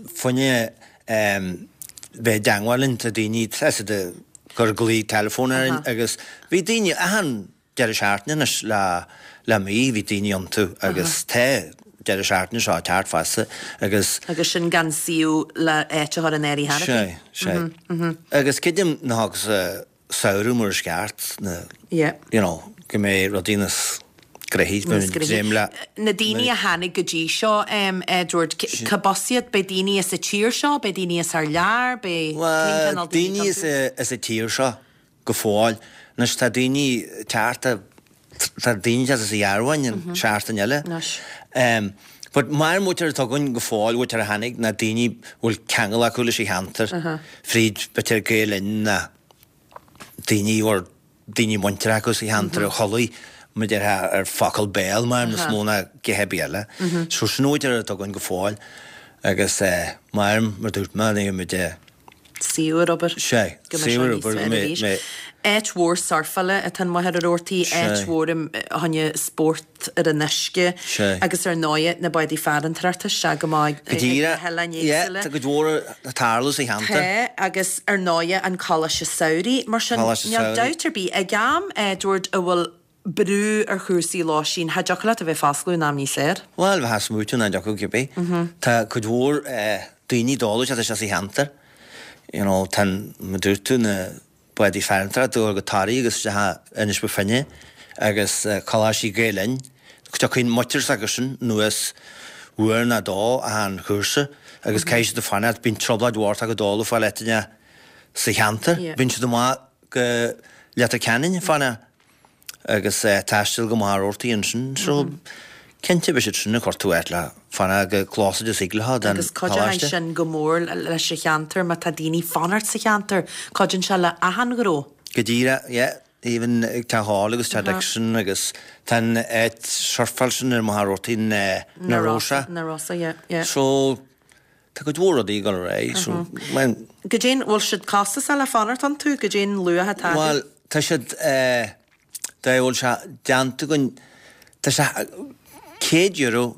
fá choinne bheith i dteangmháil linn, tá daoine, tá siad ag cur glao teileafóin orainn agus bhí daoine achan deireadh seachtaine anois le le mí, bhí daoine iontu agus tá deireadh seachtaine seo ag teacht fosta agus. Agus sin gan suíomh le áit a chur in áirithe cheana féin. Sea, sea. Agus creidim nach agus samhradh mar is ceart, na, Yeah. you know, go mbeidh rudaí níos gnoithí, Níos bheinn dréim le. Na daoine a tháinig go dtí seo, Edward, cad as iad? B'é daoine as an tír seo, b'é daoine as thar lear, b'é cén Bhuel, cineál daoine daoine atá iontu? as an tír seo go fóill. Anois tá daoine ag teacht, tá daoine ag teacht as an Ghearmáin an seachtain eile. Anois. But mar an mhuintir atá againn go fóill, mhuintir a tháinig, ná daoine a bhfuil ceangal acu leis an cheantar, fríd b'fhéidir Gael Linn ná daoine a bhfuil daoine muinteartha acu sa cheantar a chualaigh muid ar ar focal béil mar níos mó ná githe ar bith eile. So sin an mhuintir atá againn go fóill agus mar mar dúirt mé, ní muid Saor ar obair. Sea, Go mbeidh sé saor níos obair, fearr mé, arís. mé. Áit mhór surfála atá in Machaire Rabhartaigh, Sea. áit mhór im choinne spórt ar an uisce Sea. agus ar ndóighe na bádaí farantóireachta isteach go maith Go ag na díreach, hoileáin yeah, éagsúla. tá cuid mhór ag tarlú sa cheantar. Tá, agus ar ndóighe an Coláiste Samhraidh. Mar sin, Coláiste níl Samhraidh. dabht ar bith, ag am, Edward, a bhfuil brú ar chúrsaí lóistín, cha dtiocfadh leat a bheith foscladh in am níos fearr. Bhuel, bheifeá ag smaoitiú nach dtiocfadh cibé. Tá cuid mhór daoine ag dul isteach sa cheantar. You know, tá an, mar dúirt tú, na bádaí farantóireachta ag dul go Toraigh agus isteach Inis Bó Finne agus Coláistí Gael Linn. Tiocfaidh muintir s'acusan anuas uair nó dó achan chúrsa agus caithfidh siad fanacht. Bíonn trioblóid mhór acu dul ag fáil áiteanna sa cheantar. Bíonn siad amach go Leitir Ceanainn ag fanacht agus taisteal go Machaire Rabhartaigh ansin. So, cinnte beidh siad sin ag cuartú áit le fanacht chomh close is thig leo den Agus cuideoidh choláiste. sin go mór leis an cheantar, má tá daoine fanacht sa cheantar, cuidíonn sé le achan ghnó. Go díreach, yeah. Even ag Teach Hall agus Teach Dixon agus tá an áit surfáil sin ar Machaire Rabhartaigh na Na Rosa. Na Rosa, yeah, yeah. So, tá cuid mhór rudaí ag dul ar aghaidh, so, man. Goidé, bhfuil siad costasach le fanacht iontu, goidé'n luach atá acu? Bhuel, tá siad, eh, dá bhfuil sé déanta againn, tá sé céad euro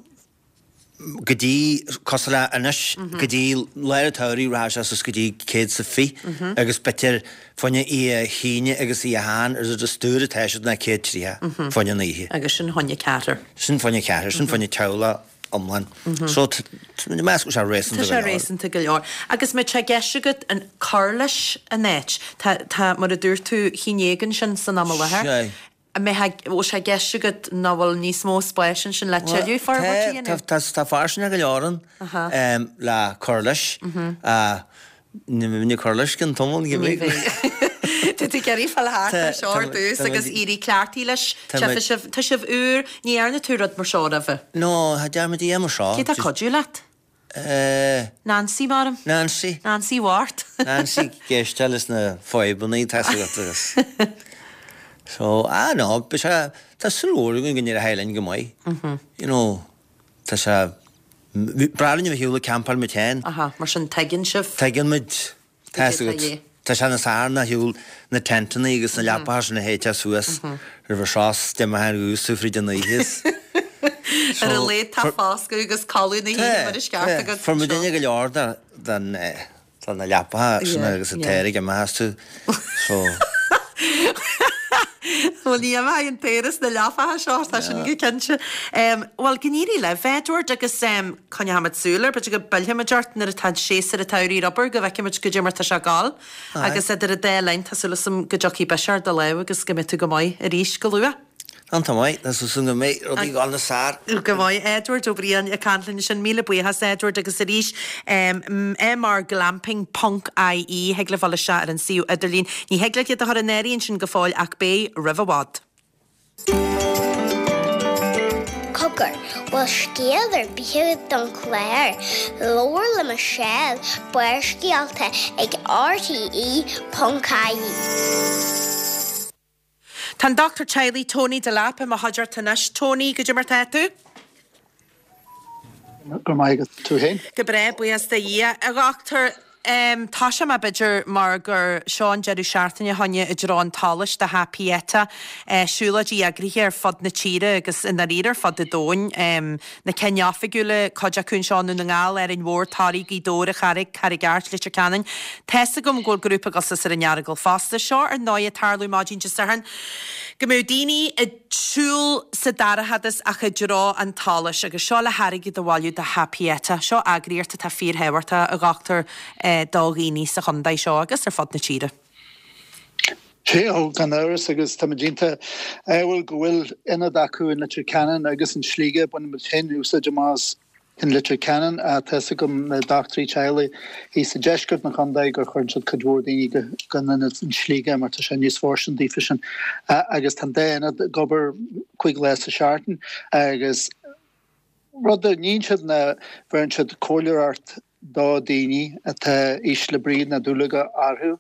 go dtí, cosúil le anois, go dtí lár an tsamhraidh rachaidh sé suas go dtí céad is a fiche agus b'fhéidir fá choinne oíche hAoine agus oíche Sheáin ar an stiúir atá siad ná céad tríocha fá choinne an oíche. Agus sin fá choinne ceathrar. Sin fá choinne ceathrar, sin fá choinne teaghlach iomlán. So meas go bhfuil sé réasúnta Tá go sé leor. réasúnta go leor. Agus má tá i gceist agat an cur leis an áit, tá, tá, mar a dúirt tú, haon déag ansin san am i láthair. Sea. An mbeidh, bhfuil sé i gceist agat nach bhfuil níos mó spáis ansin le tuilleadh forbairt a Tá, dhéanamh? tá, tá fairsinge go leor ann le cur leis. Ní bheidh cur leis gan tamall, ní Ní bheidh. bheidh. Tá tú ag iarraidh fáil thart Tá, ar seo ar tá, dtús tá agus muid, éirí cleachtaithe leis. tá Tá muid, sibh, tá sibh úr, ní dhearna tú rud mar seo roimhe. No, cha dtearn muid a dhath mar seo. Cé tá ag cuidiú leat? Eh, Nancy, maram. Nancy. Nancy Ward. Nancy ag éisteacht leis na fadhbanna tá agat agus. So, ah no, beidh sé, tá súil mhór againn go n-éireoidh linn go maith. You know, tá sé, breá linn a bheith ar shiúl ag campáil muid féin. Aha, mar sin tuigeann sibh. Tuigeann muid, tá Goidé fhios tá agat, dhé. tá sé níos fearr ná shiúl na tenteanna agus na leapacha sin a shéidtear suas roimh an seo 's d'imeochthá ar dhús fríd an oíche is. Ar a So, laghad tá fuair, foscadh agus codladh na hoíche mar is ceart tá, agat fuair muid anseo. duine go leor de, den, eh, de na leapacha sin Yeah, agus an yeah. t-aer ag imeacht astu. So. Well ní bheidh an t-aer sna leapacha seo tá sin go cinnte. Bhuel go n-éirí libh Edward agus coinneoimid súil air, b'fhéidir go bpillfimid ort nuair atá séasúr an tsamhraidh ar obair go bhfeicfimid goidé mar tá sé ag gabháil. Agus idir an dá linn tá súil agam go dtiocfaidh biseach ar do lámh agus go mbeidh tú go maith arís go luath. Iontach maith, tá súil go mbeidh rudaí ag gabháil níos fearr. Go maith Edward Ó Briain ag caint linn sin míle buíochas Edward agus arís MR Glamping ponc IE thig libh dul isteach ar an suíomh idirlín. Ní thig leat iad a chur in áirithe ansin go fóill ach beidh roimh i bhfad. Cogar, bhfuil scéal ar bith agat don chlár? Labhair le Michelle, Barrscéalta ag RTE ponc IE. Tá an Dochtúir Teaghlaigh Tony Delap i mo chuideachta anois. Tony, goidé mar tá tú? Go maith agus tú féin? Go breá, buíochas do Dhia. A dhochtúir, tosóidh mé b'fhéidir mar gur seo an deireadh seachtaine chugainne i dtreo an tsolais do Theach Pieta, siúlóidí eagraithe ar fud na tíre agus i ndáiríre ar fud an domhain. Na cinn oifigiúla, cuid acu anseo i nDún na nGall, Árainn Mhór, Toraigh, Gaoth Dobhair, An Charraig, Carraig Airt, Leitir Ceanainn. Tá's agam go bhfuil grúpa ag dul suas ar an Earagail fosta. Seo ar ndóigh ag tarlú maidin Dé Sathairn go mbeadh daoine ag siúl sa dorchadas ach i dtreo an tsolais agus seo le hairgead a bhailiú do Theach Pieta. Seo eagraíocht atá fíorthábhachtach, a dhochtúir, do dhaoine sa chontae seo agus ar fud na tíre. Sea, ó, gan amhras, agus táimid iontach ádhúil go bhfuil ionad acu in Leitir Ceanainn agus in Sligeach. Bainimid féin úsáid amach as in Leitir Ceanainn. Tá fhios agam na dochtúirí teaghlaigh thíos i deisceart an chontae gur chuireann siad cuid mhór daoine go go an ionad in Sligeach mar tá sé níos fóirstean daofa sin. Agus tá an dá ionad ag obair cúig lá sa seachtain agus rud a níonn siad ná bheireann siad comhairleoireacht do daoine atá ísle brí nó dúlagar orthu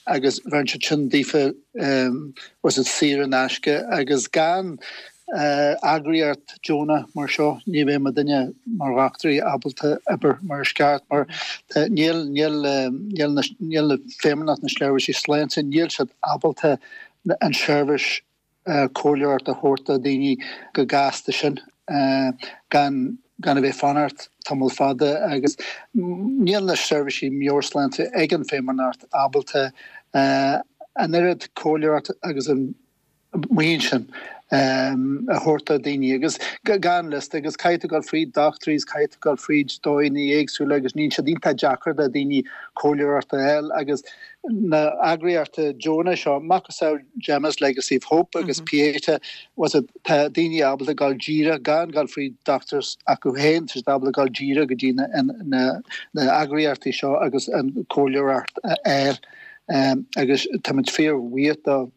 agus bheireann siad sin daofa was it saor in aisce agus gan eagraíocht deonach mar seo ní bheadh muidinne mar dhochtúirí ábalta obair mar is ceart mar níl níl níl na níl na Feidhmeannacht na Seirbhísí Sláinte níl siad ábalta an seirbhís comhairleoireacht a thabhairt do dhaoine go gasta sin gan gan a bheith fanacht tamall fada agus níl na seirbhísí meabhairshláinte ag an Feidhmeannacht ábalta an oiread comhairleoireacht agus an maoin sin a thabhairt do dhaoine agus gan liosta agus caithfidh tú dul fríd dochtúirí is caithfidh tú dul fríd dóigheanna éagsúla agus níonn siad iontach deacair do dhaoine comhairleoireacht a fháil agus na eagraíochtaí deonacha seo, macasamhail Gemma's Legacy of Hope agus Pieta, was it, tá daoine ábalta dul díreach gan dul fríd dochtúir acu féin, tá siad ábalta dul díreach go dtí na na na eagraíochtaí seo agus an comhairleoireacht a fháil. Agus táimid fíor-bhuíoch do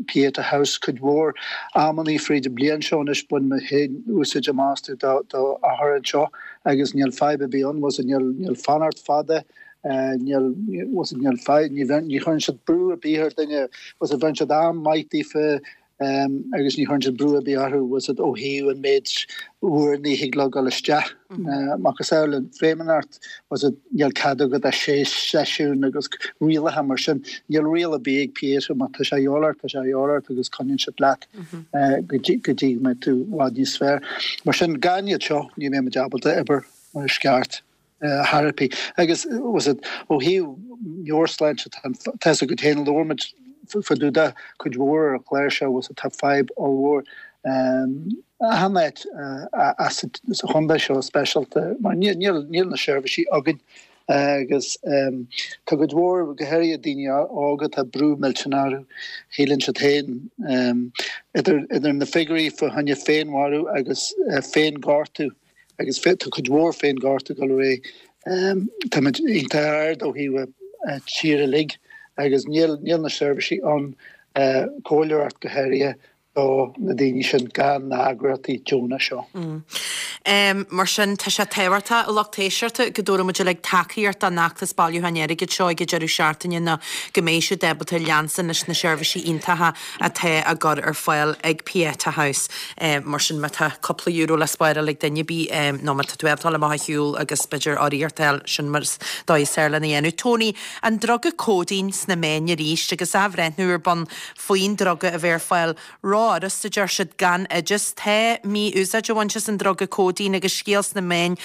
Pieta House cuid mhór amannaí fríd an bliain seo anois bain mé féin úsáid amach astu do do othair anseo agus níl fadhb ar bith ann was it níl níl fanacht fada níl was it níl fadhb ní bhean ní chuireann siad brú ar bith ar duine was it bheireann siad am maith daofa agus ní chuireann siad brú ar bith orthu was it ó thaobh an méid uaireanna a thig leo dul isteach. Macasamhail an Feidhmeannacht was it níl cead agat ach sé seisiún agus rialacha mar sin. Níl riail ar bith ag Pieta má tá sé a dhíobháil ort tá sé a dhíobháil ort agus coinníonn siad leat go dtí go dtí go mbeidh tú i bhfad níos fearr. Mar sin gan iad seo ní bheidh muid ábalta obair mar is ceart. therapy agus was it ó thaobh meabhairshláinte tá fhios agat féin labhair muid fá dtaobh de cuid mhór ar an chlár seo was it tá fadhb ollmhór achan áit sa chontae seo speisialta mar níl níl níl na seirbhísí againn agus tá cuid mhór go háirithe daoine óga tá brú millteanach orthu shíleann siad féin idir idir na figiúirí fá choinne féinmharú agus féinghortú agus tá cuid mhór féinghortú ag dul ar aghaidh. Táimid iontach ard ó thaobh tír uilig agus níl níl na seirbhísí ann, comhairleoireacht go háirithe, do na daoine sin gan na heagraíochtaí deonacha seo. Mar sin, tá sé tábhachtach, a lucht éisteachta, go dtabharfaidh muid uilig tacaíocht don fheachtas bailiúcháin airgid seo ag an deireadh seachtaine nó go mbeidh siad ábalta leanstan leis na seirbhísí iontacha atá á gcur ar fáil ag Pieta House. Mar sin, má tá cúpla euro le spáráil ag duine ar bith, nó má tá tú ábalta dul amach a shiúl agus b'fhéidir urraíocht a fháil, sin mar is dóigh is fearr lena dhéanamh. Tony, an druga cóidín sna meáin arís agus athbhreithniú ar bun faoin druga a bheith ar fáil rófhurasta, a deir siad, gan oideas. Tá mí-úsáid a bhaint as an druga cóidín agus scéal sna meáin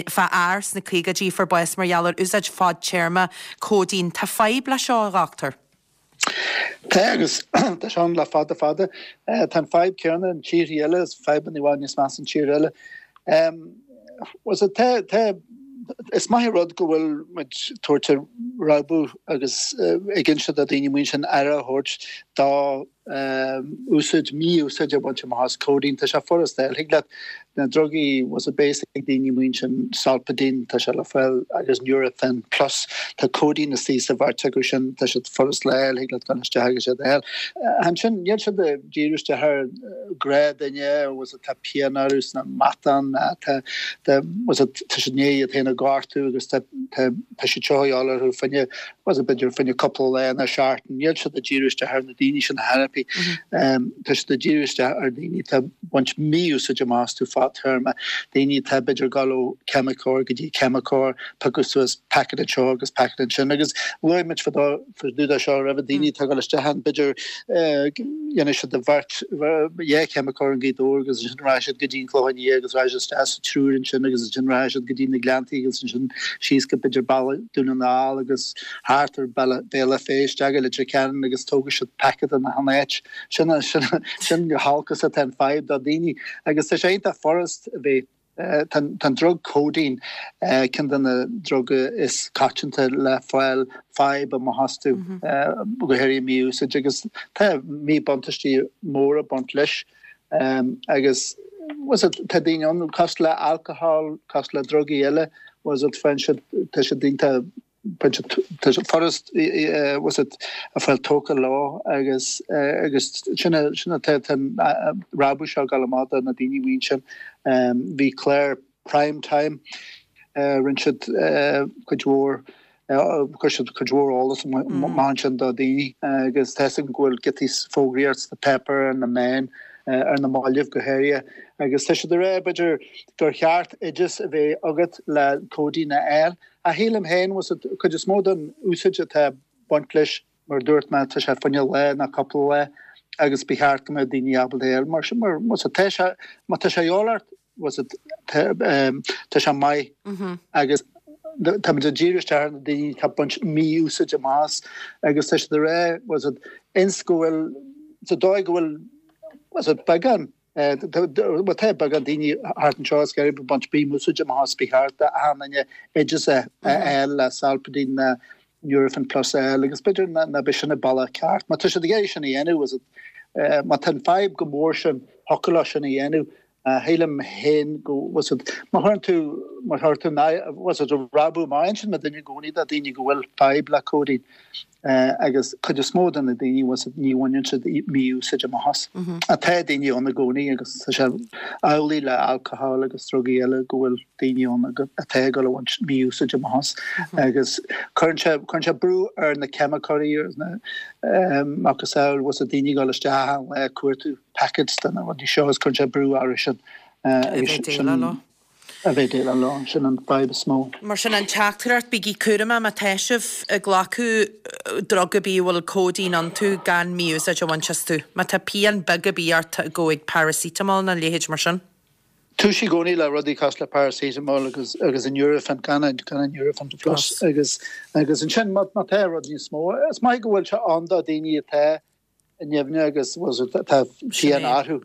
fá fhear sna caogaidí a fuair bás mar gheall ar úsáid fadtéarma cóidín. Tá fadhb le seo, a dhochtúir. Tá agus tá sé ann le fada fada. Tá an fadhb céanna in tíortha eile, is fadhbanna i bhfad níos measa in tír eile. Was it tá tá is maith an rud go bhfuil muid tabhairt rabhadh agus ag inse do daoine amuigh ansin aire a thabhairt dá úsáid, mí-úsáid a bhaint amach as codeine. Tá sé furast a fháil. Thig leat na drugaí was it basic ag daoine amuigh ansin, Solpadeine, tá sé le fáil agus Nurofen Plus. Tá codeine istigh sa bheirt acu sin, tá siad furast le fháil, thig leat dul isteach agus iad a fháil. Ansin níl siad ag díriú isteach ar gnáthdhuine was it tá pian orthu sna matáin, tá tá was it tá siad i ndiaidh iad féin a ghortú agus tá tá tá siad seo a dhíobháil orthu fá choinne was it b'fhéidir fá choinne cúpla lá nó seachtain. Níl siad ag díriú isteach ar na daoine sin a theiripí. Tá siad ag díriú isteach ar daoine atá ag baint mí-úsáid amach astu fadtéarma, daoine atá b'fhéidir ag dul ó cheimiceoir go dtí ceimiceoir, piocadh suas packet anseo agus packet ansin agus luaigh muid fá dtaobh de seo roimhe, daoine atá ag dul isteach ann, b'fhéidir dhéanfaidh siad a bheirt, dhá cheimiceoir i nGaoth Dobhair agus ansin rachaidh siad go dtí an Clochán Liath agus rachaidh siad isteach sa triúr ansin agus ansin rachaidh siad go dtí na Gleanntaí agus ansin síos go b'fhéidir Baile Dún na nGall agus thart ar Béal Átha Féith isteach go Leitir Ceanainn agus tógfaidh siad packet in achan áit. Sin sin sin chomh holc is atá an fadhb do daoine agus tá sé iontach furast a bheith Tá an drug codeine ceann de na druga is coitianta le fáil fadhb amach astu, go háirithe mí-úsáid agus tá míbhuntáistí móra ag baint leis agus was it tá daoine ann cosúil le alcohol, cosúil le drugaí eile, was it faigheann siad tá siad iontach tá sé furast was it a fáil tógtha leo agus agus sin sin atá an rabhadh seo ag dul amach do na daoine amuigh ansin. Bhí clár Prime Time rinne siad cuid mhór chuir siad cuid mhór eolas amach ansin do daoine agus tá 'fhios agam go bhfuil giotaí fógraíocht sna páipéir ar na meáin ar na mallaibh go háirithe agus tá siad ag rá b'fhéidir gur cheart oideas a bheith agat le codeine a fháil Ach shílim féin, was it, cuid is mó den úsáid atá ag baint leis, mar a dúirt mé, tá sé fá choinne lá nó cúpla lá agus ba cheart go mbeadh daoine ábalta é a fháil. Mar sin, mar, was it, tá sé, má tá sé a dhíobháil ort, was it, tá, tá sé maith agus táimid ag díriú isteach ar na daoine atá ag baint mí-úsáid amach as agus tá siad ag rá, was it, ins go bhfuil, sa dóigh go bhfuil, was it, beagán, Bhuel tá beagán daoine thart anseo is ag baint mí-úsáid amach as ba cheart d'achan duine oideas a fháil le Solpadeine nó Nurofen Plus a fháil agus b'fhéidir ná b'é sin an bealach ceart. Má tá siad ag iarraidh sin a dhéanamh, má tá an fadhb chomh mór sin, thiocfadh leo sin a dhéanamh. Shílim féin go bhfuil siad, má chuireann tú, má chuir tú, bhfuil siad rabhadh maith ansin má duine i gcónaí do daoine go bhfuil fadhb le codeine. Agus cuid is mó de na daoine, bhfuil siad, ní bhaineann siad mí-úsáid amach as. Ach tá daoine ann i gcónaí agus tá sé amhlaidh le alcohol agus drugaí eile go bhfuil daoine ann atá ag dul a bhaint mí-úsáid amach as. Agus cuireann sé, cuireann sé brú ar na ceimiceoirí agus na macasamhail, bhfuil siad, daoine ag dul isteach achan lá ag cuartú packets de na rudaí seo agus cuireann sé brú orthu sin. Agus sin. a bheith ag déileáil leo. Sin an fadhb is mó. Mar sin, an teachtaireacht, bígí cúramach má tá sibh ag glacadh drug ar bith a bhfuil codeine iontu gan mí-úsáid a bhaint astu. Má tá pian beag ar bith ort, gabh ag paracetamol nó a leithéid mar sin. Tús i gcónaí le rudaí cosúil le paracetamol agus agus an Nurofen, gan an gan an Nurofen Plus agus agus ansin má má tá rud níos mó, is maith go bhfuil sé ann do daoine atá nimhneach agus tá pian orthu.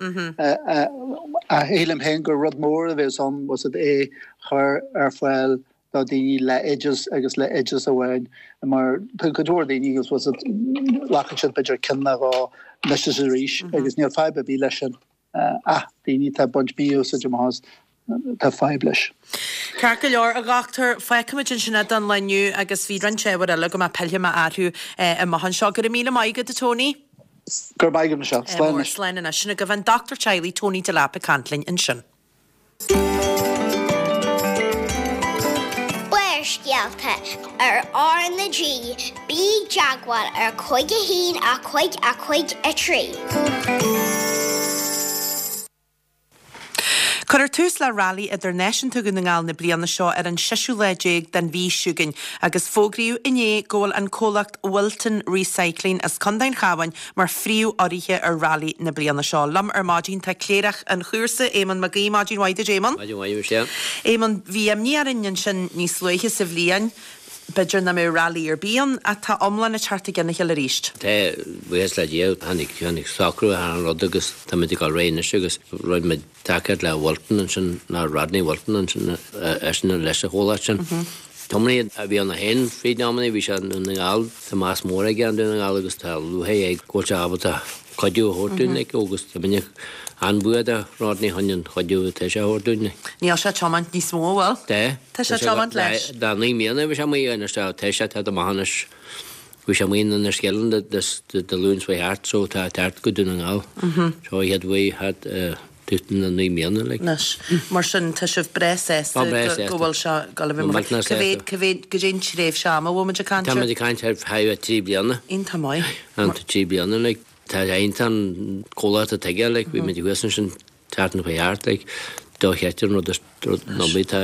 Ach shílim féin gur rud mór a bheas ann was it é chur ar fáil do daoine le oideas agus le oideas amháin mar tá cuid mhór daoine agus was it glacann siad b'fhéidir ceann nó dhó anois is arís agus níl fadhb ar bith leis sin. Ach daoine atá ag baint mí-úsáid amach as tá fadhb leis. Ceart go leor, a dhochtúir, fágfaimid ansin é don lá inniu agus bhí roinnt ábhair eile go mbeadh pillfidh mé orthu amach anseo. Go raibh míle maith agat, a Tony. Go raibh maith agat, Michelle. Slán anois. Slán anois. Sin agaibh an dochtúir teaghlaigh Tony Delap ag caint linn ansin. Barrscéalta ar R na G, bí i dteagmháil ar cúig a haon a cúig a cúig a trí. Cuirfear tús le Railí Idirnáisiúnta Dhún na nGall na bliana seo ar an seisiú lá déag den mhí s'againn agus fógraíodh inné go bhfuil an comhlacht Wilton Recycling as Contae an Chabháin mar phríomh-urraithe ar Railí na bliana seo. Liom ar maidin tá Cléireach an chúrsa, Éamonn Mac Aoidh. Maidin mhaith duit, Éamonn. Maidin mhaith, Michelle. Éamonn, bhí imní orainn ansin níos luaithe sa bhliain b'fhéidir nach mbeadh rally ar bith ann ach tá iomlán ag teacht i gcionn a chéile arís. Tá, buíochas le Dia, tháinig, tháinig socrú ar an rud agus táimid ag dul ar aghaidh anois agus rinne muid tacaíocht le Wilton ansin, ná Rodney Wilton ansin, eisean leis an chomhlacht sin. Tiománaí a bhí ann féin fríd na amanna, bhí sé i nDún na nGall, tá meas mór aige ar Dhún na nGall agus tá lúcháir air go bhfuil sé ábalta cuidiú a thabhairt dúinn like agus tá muid an-bhuíoch de Rodney chun an chuidiú atá sé a thabhairt dúinn. Níl sé ag tiomáint níos mó, an bhfuil? Tá. Tá sé ag tiomáint leis. Dá naoi mbliana a bhí sé amuigh anois tá tá sé tá amach anois. Bhí sé amuigh in Enniskillen Dé Luain seo thart so tá thart go Dún na nGall. So he had way had tút na naoi mbliana like. Anois, mar sin tá sibh breá sásta Tá breá sásta. go bhfuil sé ag dul a bheith mar Millteanach Cá mhéad, sásta. cá mhéad, goidé an tréimhse ama a bhfuil muid ag caint Tá air? muid ag caint ar feadh trí bliana. Iontach maith. An trí bliana like. Tá iontach an comhlacht atá aige like bhí muid thuas ansin seachtain faoi thart like dochreidte an rud is rud obair atá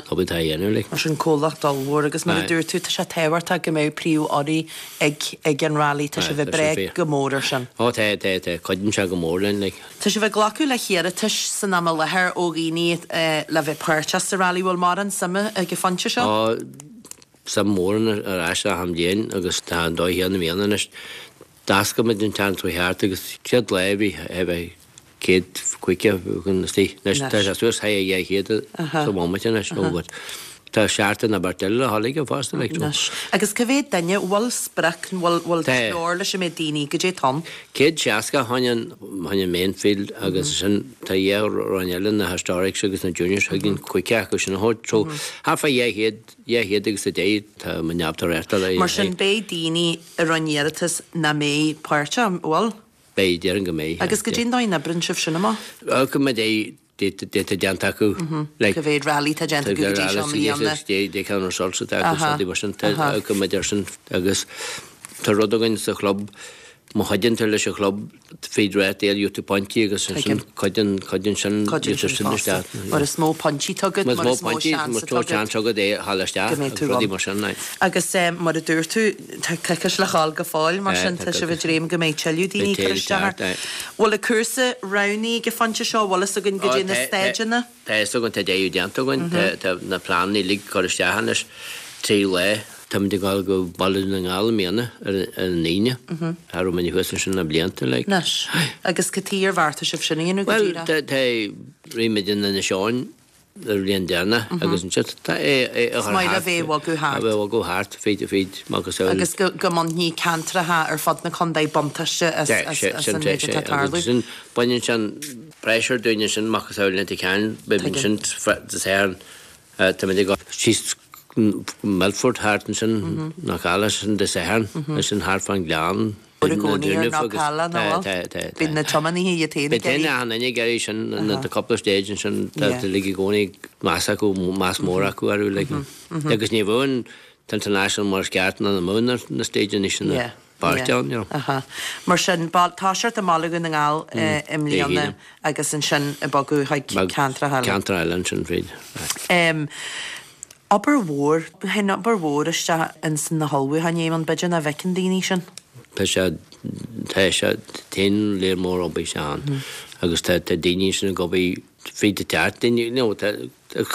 obair atá a dhéanamh like. Mar sin comhlacht ollmhór agus mar a dúirt tú tá sé tábhachtach go mbeadh príomhurraí ag ag an rally tá sibh ag brath go mór ar sin. Ó tá tá tá cuidíonn sé go mór linn like. Tá sibh ag glacadh le hiarratais san am i láthair ó dhaoine le bheith páirteach sa rally bhfuil mórán suime ag an phointe seo? Ó suim mór ann ar ais achan bhliain agus tá an dóigh chéanna i mbliana anois. D'oscail muid an tseachtain seo thart agus chéad lá bhí bhí céad caoga chun istigh. Anois tá sé suas thar dhá chéad sa bhomaite anois nó but tá seachtain na beirt eile le dhul aige fosta like so. Anois. Agus cá mhéad duine, bhfuil sprioc, bhfuil bhfuil treoir leis an méid daoine, goidé atá ann? Céad seasca chun an chun an main field agus sin tá dhá roinn eile na historics agus na juniors chuig an cúigear acu sin a thabhairt. So thart fá dhá chéad dhá chéad agus a deich tá mo neamhtar le. Mar sin beidh daoine a rinne iarratas nach mbeidh páirteach, an bhfuil? Beidh, déarfainn go mbeidh. Agus goidé an dóigh a n-oibríonn sibh sin amach? Go mbeidh data déanta acu. Cá mhéad rally tá déanta acu go dtí seo i mbliana? Dé ceann results atá acu rudaí mar sin go mbeidh ar sin agus tá rud againn sa chlub má chuidíonn tú leis an chlub fríd rátaí gheobhaidh tú pointí agus ansin cuidíonn cuidíonn sin Cuidíonn sin fosta. Mar is mó pointí atá agat, mar is mó seans atá agat. seans agat é a fháil isteach Go mbeidh tú agus rudaí ann. mar sin. Agus mar a dúirt tú, tá coicís le dhul go fóill, mar sin tá sibh ag dréim go mbeidh tuilleadh daoine ag cur isteach air. Bhfuil an cúrsa roghnaithe ag an phointe seo, bhfuil fhios againn goidé na staideanna? Tá fhios againn, tá deireadh déanta againn, tá na pleananna uilig curtha isteach anois, trí lá. Táimid ag dul go Baile Dhún na nGall i mbliana ar an Aoine. Cha raibh muid thuas ansin le blianta like. Anois, agus cad chuige ar bheartaigh sibh sin a dhéanamh go Bhuel, díreach? tá, tá, rith muid in Inis Eoghain ar bhliain deireanach agus ansin tá é, é a Is chur maith le thart, bheith ag bogadh thart. a bheith ag bogadh thart fríd, fríd macasamhail. Agus go, go mbainfidh ceantracha ar fud na contae buntáiste as, Sé, as, sé, as sin, an sé, méid sé, atá ag agus tarlú. sin, baineann sin pressure dúinn ansin macasamhail Leitir Ceanainn, beidh Tuigim. sin sa Satharn, táimid ag dul síos Milford thart ansin, Knockalla sin Dé Sathairn, ansin thart fán Ghleann. Bhfuil i gcónaí ar Knockalla nó bhfuil? Bíonn na tiománaithe iad féin ag Bíonn iarraidh. achan duine ag iarraidh sin, na cúpla stage ansin, tá uilig i gcónaí meas acu, meas mór acu orthu like. Agus ní bheadh an t-international mar is ceart ná na mbeadh na stageanna sin páirteach ann, you know. Aha. Mar sin, toiseacht i mBaile Dhún na nGall i mbliana agus ansin ag bogadh chuig ceantracha eile. Ceantar eile ansin fríd. Obair mhór, théann obair mhór isteach ins na hullmhúcháin, Éamonn, b'fhéidir nach bhfeiceann daoine sin. Tá sé, tá sé, téann léar mór obair isteach ann agus tá, tá daoine sin ag obair fríd an teach, daoine, you know, tá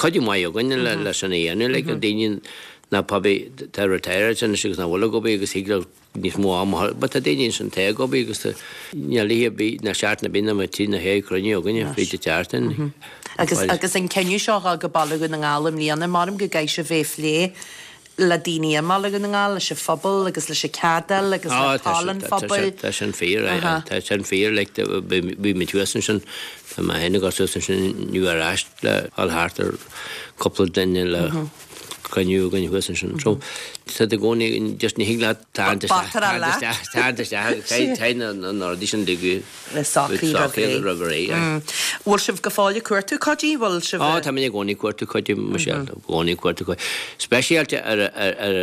cuidiú maith againn le, le sin a dhéanamh, like, daoine ná probably tá retired anois agus nach bhfuil ag obair agus thig leo níos mó ama a chur, but tá daoine ansin atá ag obair agus tá, níl oíche ar bith, ná seachtain ar bith nach mbeadh trí nó sé cruinniú againne fríd an tseachtain. Agus, agus an cinneadh seo a dhul go Baile Dhún na nGall i mbliana, maram go gcaithfidh sibh é a phlé le daoine i mBaile Dhún na nGall, leis an phobal agus leis an ceadail agus le toil an phobail. Tá sin fíor, tá sin fíor, like, bhí muid thuas ansin, tá mé féin ag dul suas ansin inniu ar ais le dhul thart ar cúpla duine le cruinniú againn thuas ansin. So, tá i gcónaí, just ní thig leat tarraingt isteach, tarraingt isteach, tarraingt isteach, caithfidh na rudaí sin ligeadh Le socraí roimh ré. roimh ré, aye. Bhfuil sibh go fóill ag cuartú cuidiú? Bhfuil sibh Ó, tá mé i gcónaí ag cuartú cuidiú, Michelle, i gcónaí ag cuartú cuidiú. Speisialta ar ar ar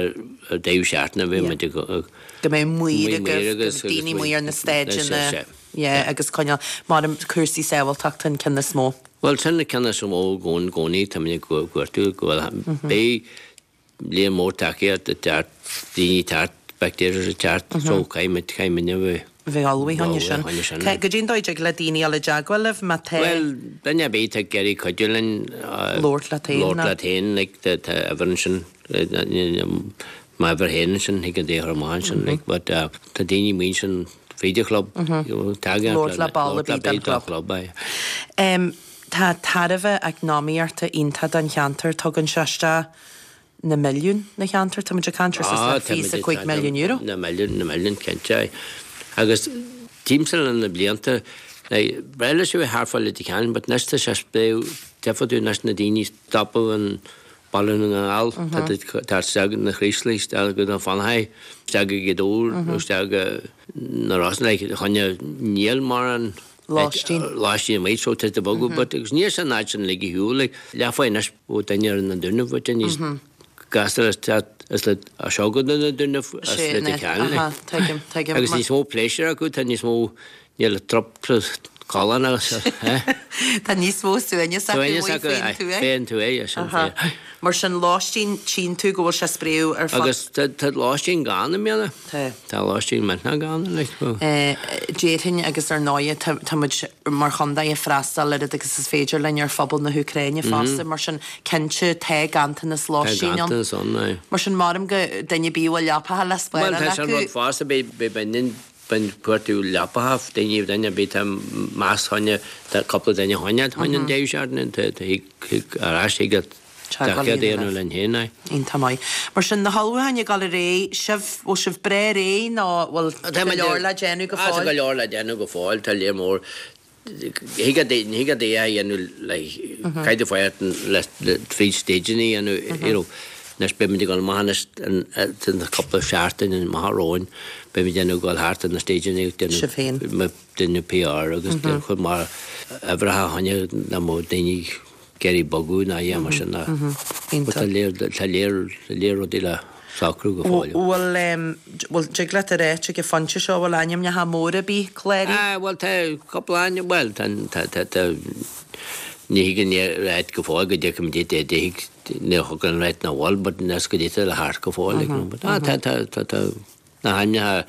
ar deireadh seachtaine bhí muid ag Go mbeidh maoir agaibh, go mbeidh daoine amuigh ar na staideanna, yeah, agus coinneáil, mar cúrsaí sábháilteachta an ceann is mó. Bhuel, sin an ceann is mó i gcónaí, tá muid ag cuartú go bhfuil, beidh líon mór tacaíocht ag teacht, daoine ag teacht, spectators ag teacht, so caithfidh muid, caithfidh muid a bheith Bheith ullmhaithe Ullmhaithe sin. choinne sin, Cé- Goidé an dóigh a dtig le daoine dul i dteagmháil libh má tá Well, duine ar bith ag iarraidh cuidiú linn Labhairt leat féin, Labhairt ná? leat féin, like, tá tá uimhir ansin m'uimhir féin ansin thig an dé chur amach ansin, like, but uh, tá daoine amuigh ansin fríd an chlub, you know, tagann Labhairt le ball ar bith den den chlub. chlub, aye. Em, Tá tairbhe eacnamaíochta iontach don cheantar tugann sé isteach na milliún na cheantar tá muid ag caint ar Ah, suas le fiche is cúig milliún euro. Na milliún na milliún cinnte. aye. Agus timpeall na blianta breile sé thart Leitir Ceanainn, but anois tá sé spréadh difriúil anois na daoine stopadh an Baile na nGall tá isteach na Craoslaigh isteach go na Fanachaí isteach go Gaoth Dobhair nó isteach go na Rosann like, choinne níl mar an Lóistín. Lóistín amuigh so tá bogadh, but agus níl san áit sin ligthe shiúl like, leathfáin anois ó duine ar na Dúnaibh but níos gasta is is le a seo go na Dúnaibh as Sé, le ne, Ceanainn, aha, like. tuigim, tuigim. Agus Mar- níos mó pléisiúr acu tá níos mó níl trop cholán agus eh? Tá níos mó suaimhneas acu Suaimhneas uaidh acu, faoin aye, tuath. Faoin tuath, sin Aha. fíor. Mar sin lóistín tchíonn tú go bhfuil sé spréadh ar fud. Agus tá tá lóistín gann i mbliana. Tá. Tá lóistín millteanach gann like, well. Eh, Déarfainn agus ar ndóigh tá tá muid mar chontae ag freastal oiread agus is féidir linn ar phobal na hÚcráine fosta, mar sin cinnte tá ganntanas Tá lóistín ann. ganntanas ann, aye. Mar sin maram go duine bí bhfuil leapacha le Well, spáráil tá sin acu. rud fosta be be baineann bain cuartú leapacha daoine duine bí tá meas choinne tá cúpla duine choinne choinne an deireadh seachtaine tá tá thig ar ais thig Teagmháil tá a dhéanamh déanamh linn féin, aye. Iontach maith. Mar sin na hullmhúcháin ag dul ar aghaidh, sibh bhfuil sibh breá réidh nó bhfuil Tá go leor le déanamh go Ah, Tá go fóill? leor le déanamh go fóill tá léir mór Thig a thig a dé a dhéanamh le caiide fáirt le fríd stageanna dhéanamh you know, Anois beimid ag dul amach anois an cúpla seachtain an maith romhainn beimid déanamh dul thart ar na stageanna Sibh féin. déanamh PR agus chun mar uimhreacha choinne na mó daoine ag iarraidh bogadh ná é mar sin ná. Iontach. Tá léir tá léir léir rudaí le socrú go fóill. Bhfuil em, bhfuil dtig leat a rá ag an phointe seo bhfuil ainmneacha móra bí cláraithe? Ah, well tá cúpla ainm well tá tá tá tá ní higann ráit go fóill go dteachaim dit é déigh ní thugann ráit na bhfuil, but nes go dtí le thart go fóill like, no, but ah, tá tá tá tá na hainmneacha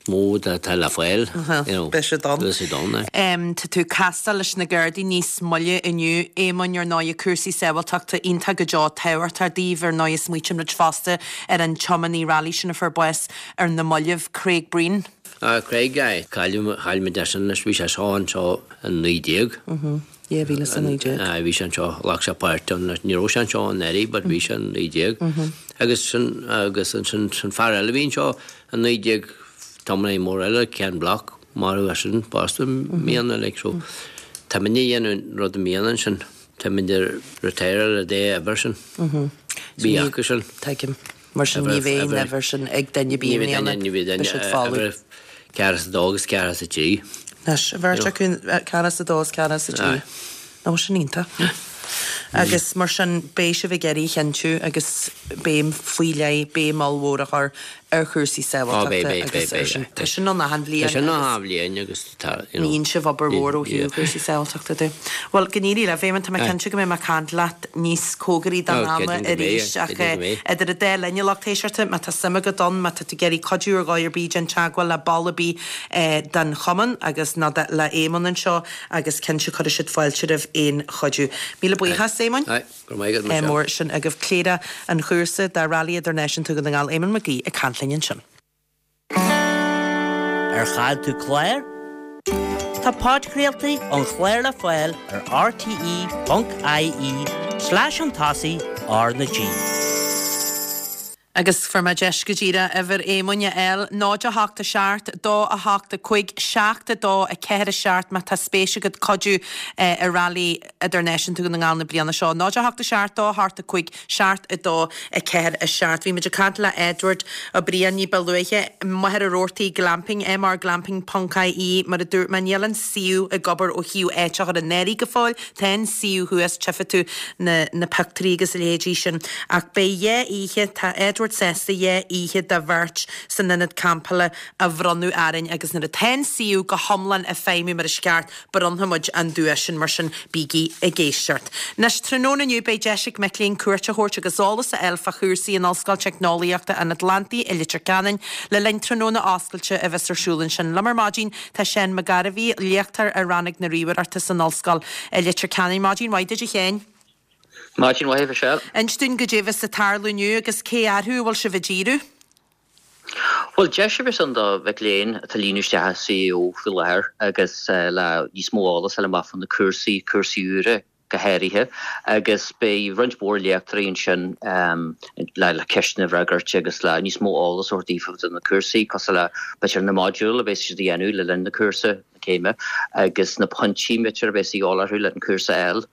mó tá tá le fáil you know, Beidh siad ann. Beidh siad ann, aye. Um, tá tú casta leis na Gardaí níos moille inniu Éamonn ar ndóigh cúrsaí sábháilteachta iontach go deo tábhachtach daoibh ar ndóigh smaoitíonn fosta ar an tiománaí rally sin a fuair bás ar na mallaibh Craig Breen. Ah, Craig aye. Cailleadh chaillmid sin leis bhí sé seo anseo an naoi déag. Dhá mhíle is a naoi déag. Ah, bhí sé anseo ghlac sé páirt ann ní raibh sé anseo anuraidh, but bhí sé an naoi déag. Agus sin agus an sin sin fear eile bhí anseo an naoi déag tiománaí mór eile Ken Block mar a sin fosta mbliana like so. Tá muid dhéanamh rud i mbliana sin tá muid retire le dé ever sin. Bhí acu sin. Tuigim. Mar sin ní bheidh an uimhir sin ag duine Ní bí bheidh duine ní bheidh duine siad fáú. ceathair is a dó agus ceathair is a trí. Anois, bheirt acu ceathair is a dó is ceathair is a trí. Aye. Nó sin iontach. Agus mar sin beidh sibh ag iarraidh a chinntiú agus béim faoi leith béim mhór a chur ar chúrsaí Ó, beidh, sábháilteachta beidh, agus beidh, ar sin. beidh, Tá sin an achan bhliain Tá sin agus an bhliain agus tá you know, Níonn sibh obair mhór ó thaobh chúrsaí sábháilteachta de. Well go n-éirí libh Éamonn tá mé Aye. cinnte go mbeidh mé ag caint leat níos cóngaraí don Ó, ama creidim go mbeidh, arís ach creidim go mbeidh. idir an dá linn lucht éisteachta má tá suim agat ann má tá tú ag iarraidh cuidiú ar dhóigh ar bith déan teagmháil le ball ar bith eh, den chumann agus ná de- le Éamonn anseo agus cinnte cuirfidh siad fáilte roimh aon chuidiú. Míle buíochas Éamonn. Aye, go raibh maith agat, Eh, Michelle. mór sin agaibh Cléire an chúrsa de Rally Idirnáisiúnta Dhún na nGall Éamonn Mac Aoidh ag caint linn ansin. Ar chaill tú clár? Tá podchraoltaí an chláir le fáil ar RTE.ie slash an tosaigh R na G. Agus fuair mé deis go díreach uimhir Éamoinn a fháil náid a hocht a seacht, dó a hocht a cúig, seacht a dó a ceathair a seacht má tá spéis agat cuidiú eh, i Rally Idirnáisiúnta Dhún na nGall na bliana seo. Náid a hocht a seacht, dó a hocht a cúig, seacht a dó a ceathair a seacht. Bhí muid ag caint le Edward Ó Briain ní ba luaithe Machaire Rabhartaigh Glamping, mrglamping.ie mar a dúirt mé níl an suíomh ag obair ó thaobh áit a chur in áirithe go fóill, Tá an suíomh thuas tchífidh tú na, na pictiúirí agus a leithéidí sin. Ach beidh dhá oíche tá Edward táimid sásta dhá oíche do bheirt san ionad campála a bhronnadh orainn agus nuair atá an suíomh go hiomlán ag feidhmiú mar is ceart, bronnfaidh muid an duais sin, mar sin bígí ag éisteacht. Anois, tráthnóna inniu beidh deis ag mic léinn cuairt a thabhairt agus eolas a fháil fá chúrsaí in Ollscoil Teicneolaíochta an Atlantaigh i Leitir Ceanainn le linn tráthnóna oscailte a bheas ar siúl ansin. Liom ar maidin tá Seán Mac Gairbhí, léachtóir i Rannóg na Ríomhaireachta san Ollscoil i Leitir Ceanainn. Maidin mhaith duit a Sheáin. Maidin mhaith a Mhichelle. Inis dúinn goidé a bheas ag tarlú inniu agus cé orthu a bhfuil sibh ag díriú? Bhuel, deis a bheas ann do mhic léinn atá ag líonadh isteach i CAO faoi láthair agus le níos mó eolas a fháil amach fá na cúrsaí, cúrsaí úra go háirithe, agus beidh roinnt mhór léachtóirí ansin le le ceisteanna a fhreagairt agus le níos mó eolas a thabhairt daofa do na cúrsaí, cosúil le b'fhéidir na modúil a bheas siad a dhéanamh le linn na cúrsa. céime agus na pointí b'fhéidir a bheas a dhíobháil orthu le an cúrsa a fháil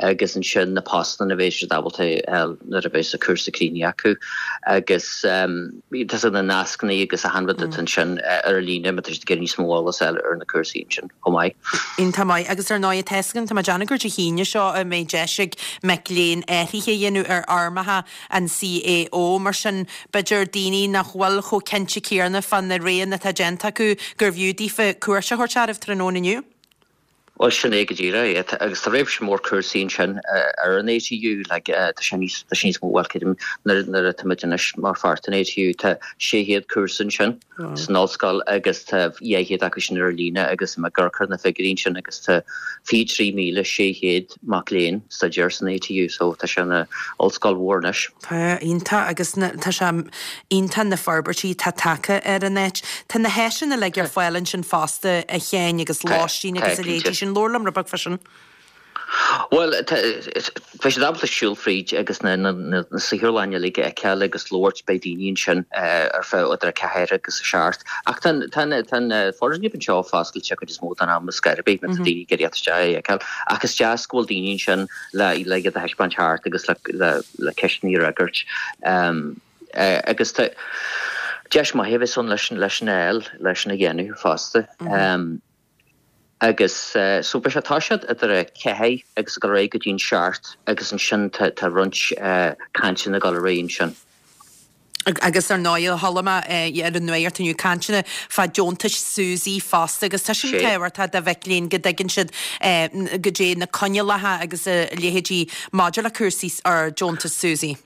agus ansin na postanna a bheas siad ábalta a fháil nuair a bheas an cúrsa críochnaithe acu agus tá na nascanna agus achan rud atá ansin ar líne má tá siad ag iarraidh níos mó eolas a fháil ar na cúrsaí ansin chomh maith. Iontach maith. Agus ar ndóigh tá a fhios agam, tá mé ag déanamh gur Dé hAoine seo a mbeidh deis ag mic léinn athruithe a dhéanamh ar fhoirmeacha an CAO. Mar sin, b'fhéidir daoine nach bhfuil chomh cinnte céanna fá na roghanna atá déanta acu gurbh fhiú daofa cuairt a thabhairt oraibh tráthnóna inniu. Bhuel, sin é go díreach é. Agus tá réimse mór cúrsaí ansin ar an ATU, like, tá sé níos, tá sé níos mó, bhuel, creidim, nuair, nuair atá muid anois mar pháirt den ATU, tá sé chéad cúrsa ansin san ollscoil agus tá dhá chéad acu sin ar líne agus ag amharc ar na figiúirí ansin agus tá fiche trí míle sé chéad mac léinn ag staidéar san ATU so tá sé ina ollscoil mhór anois. Tá, iontach agus tá sé iontach na forbairtí atá tagtha ar an áit. Tá na háiseanna uilig ar fáil ansin fosta a Sheáin agus lóistín agus a leithéidí sin. Labhair liom rud beag fá sin. Bhuel, beidh siad ábalta siúl fríd agus na saotharlanna uilig a fheiceáil agus labhairt, beidh daoine ansin ar feadh idir a ceathair agus a seacht. Ach tá an foirgneamh anseo foscailte cuid is mó den am ar scor ar bith, má tá daoine ag iarraidh isteach é a fheiceáil. Ach is deas go bhfuil daoine ansin le iad a thaispeáint thart agus le ceisteanna a fhreagairt. Agus tá deis maith a bheas ann leis an fháil, leis an a dhéanamh fosta. Agus so beidh sé tá siad idir a ceathair agus ag dul ar aghaidh go dtí an seacht agus ansin tá tá roinnt cainteanna ag dul ar aghaidh ansin. Agus ar ndóigh chuala mé ar an nuacht inniu cainteanna fá deontais SUSI fosta agus tá sin tábhachtach do mhic léinn go dtuigeann siad goidé na coinníollacha agus a leithéidí maidir le cúrsaí ar deontas SUSI.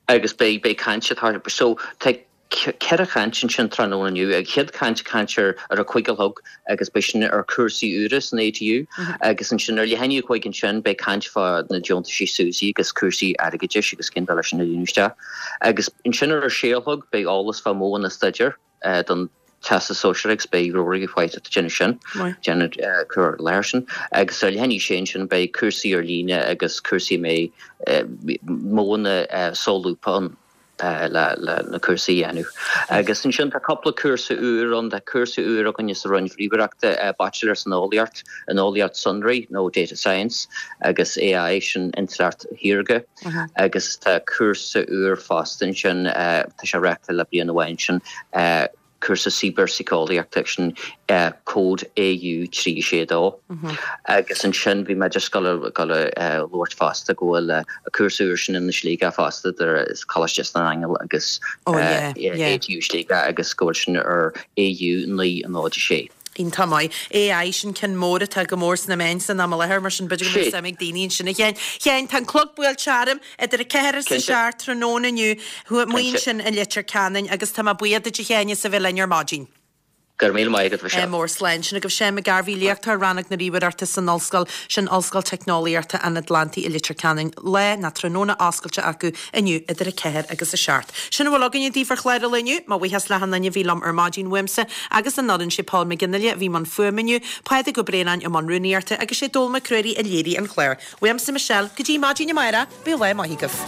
Agus beidh beidh caint atá so tá ceithre chaint ansin tráthnóna inniu. An chéad chaint, caint ar ar a cúig a chlog agus beidh sin ar chúrsaí úra san ATU agus ansin ar leath i ndiaidh a cúig ansin beidh caint fá na deontaisí SUSI agus cúrsaí airgeadais agus cén dóigh leis sin a líonadh isteach. Agus ansin ar a sé a chlog beidh eolas fá mhodhanna staidéir don Teastas Sóisearach agus beidh Rory White ag déanamh sin, déanamh cur i láthair sin. Agus ar leath i ndiaidh a sé ansin beidh cúrsaí ar líne agus cúrsaí a mbeidh modhanna solúbtha ann. le na cúrsaí a dhéanamh. Agus ansin tá cúpla cúrsa úr ann, tá cúrsa úr againne sa Roinn Ríomhaireachta, Baitsiléir san Eolaíocht, in Eolaíocht Sonraí nó Data Science agus AI, sin Intleacht Shaorga. Agus tá cúrsa úr fosta ansin, tá sé reáchtáil le bliain amháin sin, cúrsa cibearsíceolaíochta, sin cód AU trí sé dó. Agus ansin bhí mé just ag dul ag dul a labhairt fosta go bhfuil an cúrsa úr sin in Sligeach fosta idir Coláiste San Aingeal agus ATU Sligeach agus go bhfuil sin ar AU naoi náid a sé. Iontach maith. AI, sin ceann mór atá go mór sna meáin san am i láthair, mar sin b'fhéidir go mbeidh suim ag daoine ansin a Sheáin. Sheáin, tá an clog buailte orm idir a ceathair is a seacht tráthnóna inniu, amuigh ansin i Leitir Ceanainn agus tá mé buíoch duit a Sheáin as a bheith linn ar maidin. Go raibh míle maith agat, Michelle. Mór slán. Sin agaibh Seán Mac Gairbhí, léachtóir Rannóg na Ríomhaireachta san Ollscoil, sin Ollscoil Teicneolaíochta an Atlantaigh i Leitir Ceanainn. Lá nó tráthnóna oscailte acu inniu idir a ceathair agus a seacht. Sin a bhfuil againne daoibh ar chlár an lae inniu. Mo bhuíochas le hachan duine a bhí liom ar maidin uaimse agus an fhoireann, sé Paul McGinley a bhí i mbun fuaime inniu, Pádraig Ó Braonáin i mbun rúnaíochta agus sé Dónall Mac Ruairí a léirigh an clár. Uaimse Michelle, go dtí maidin amárach, bíodh lá maith agaibh.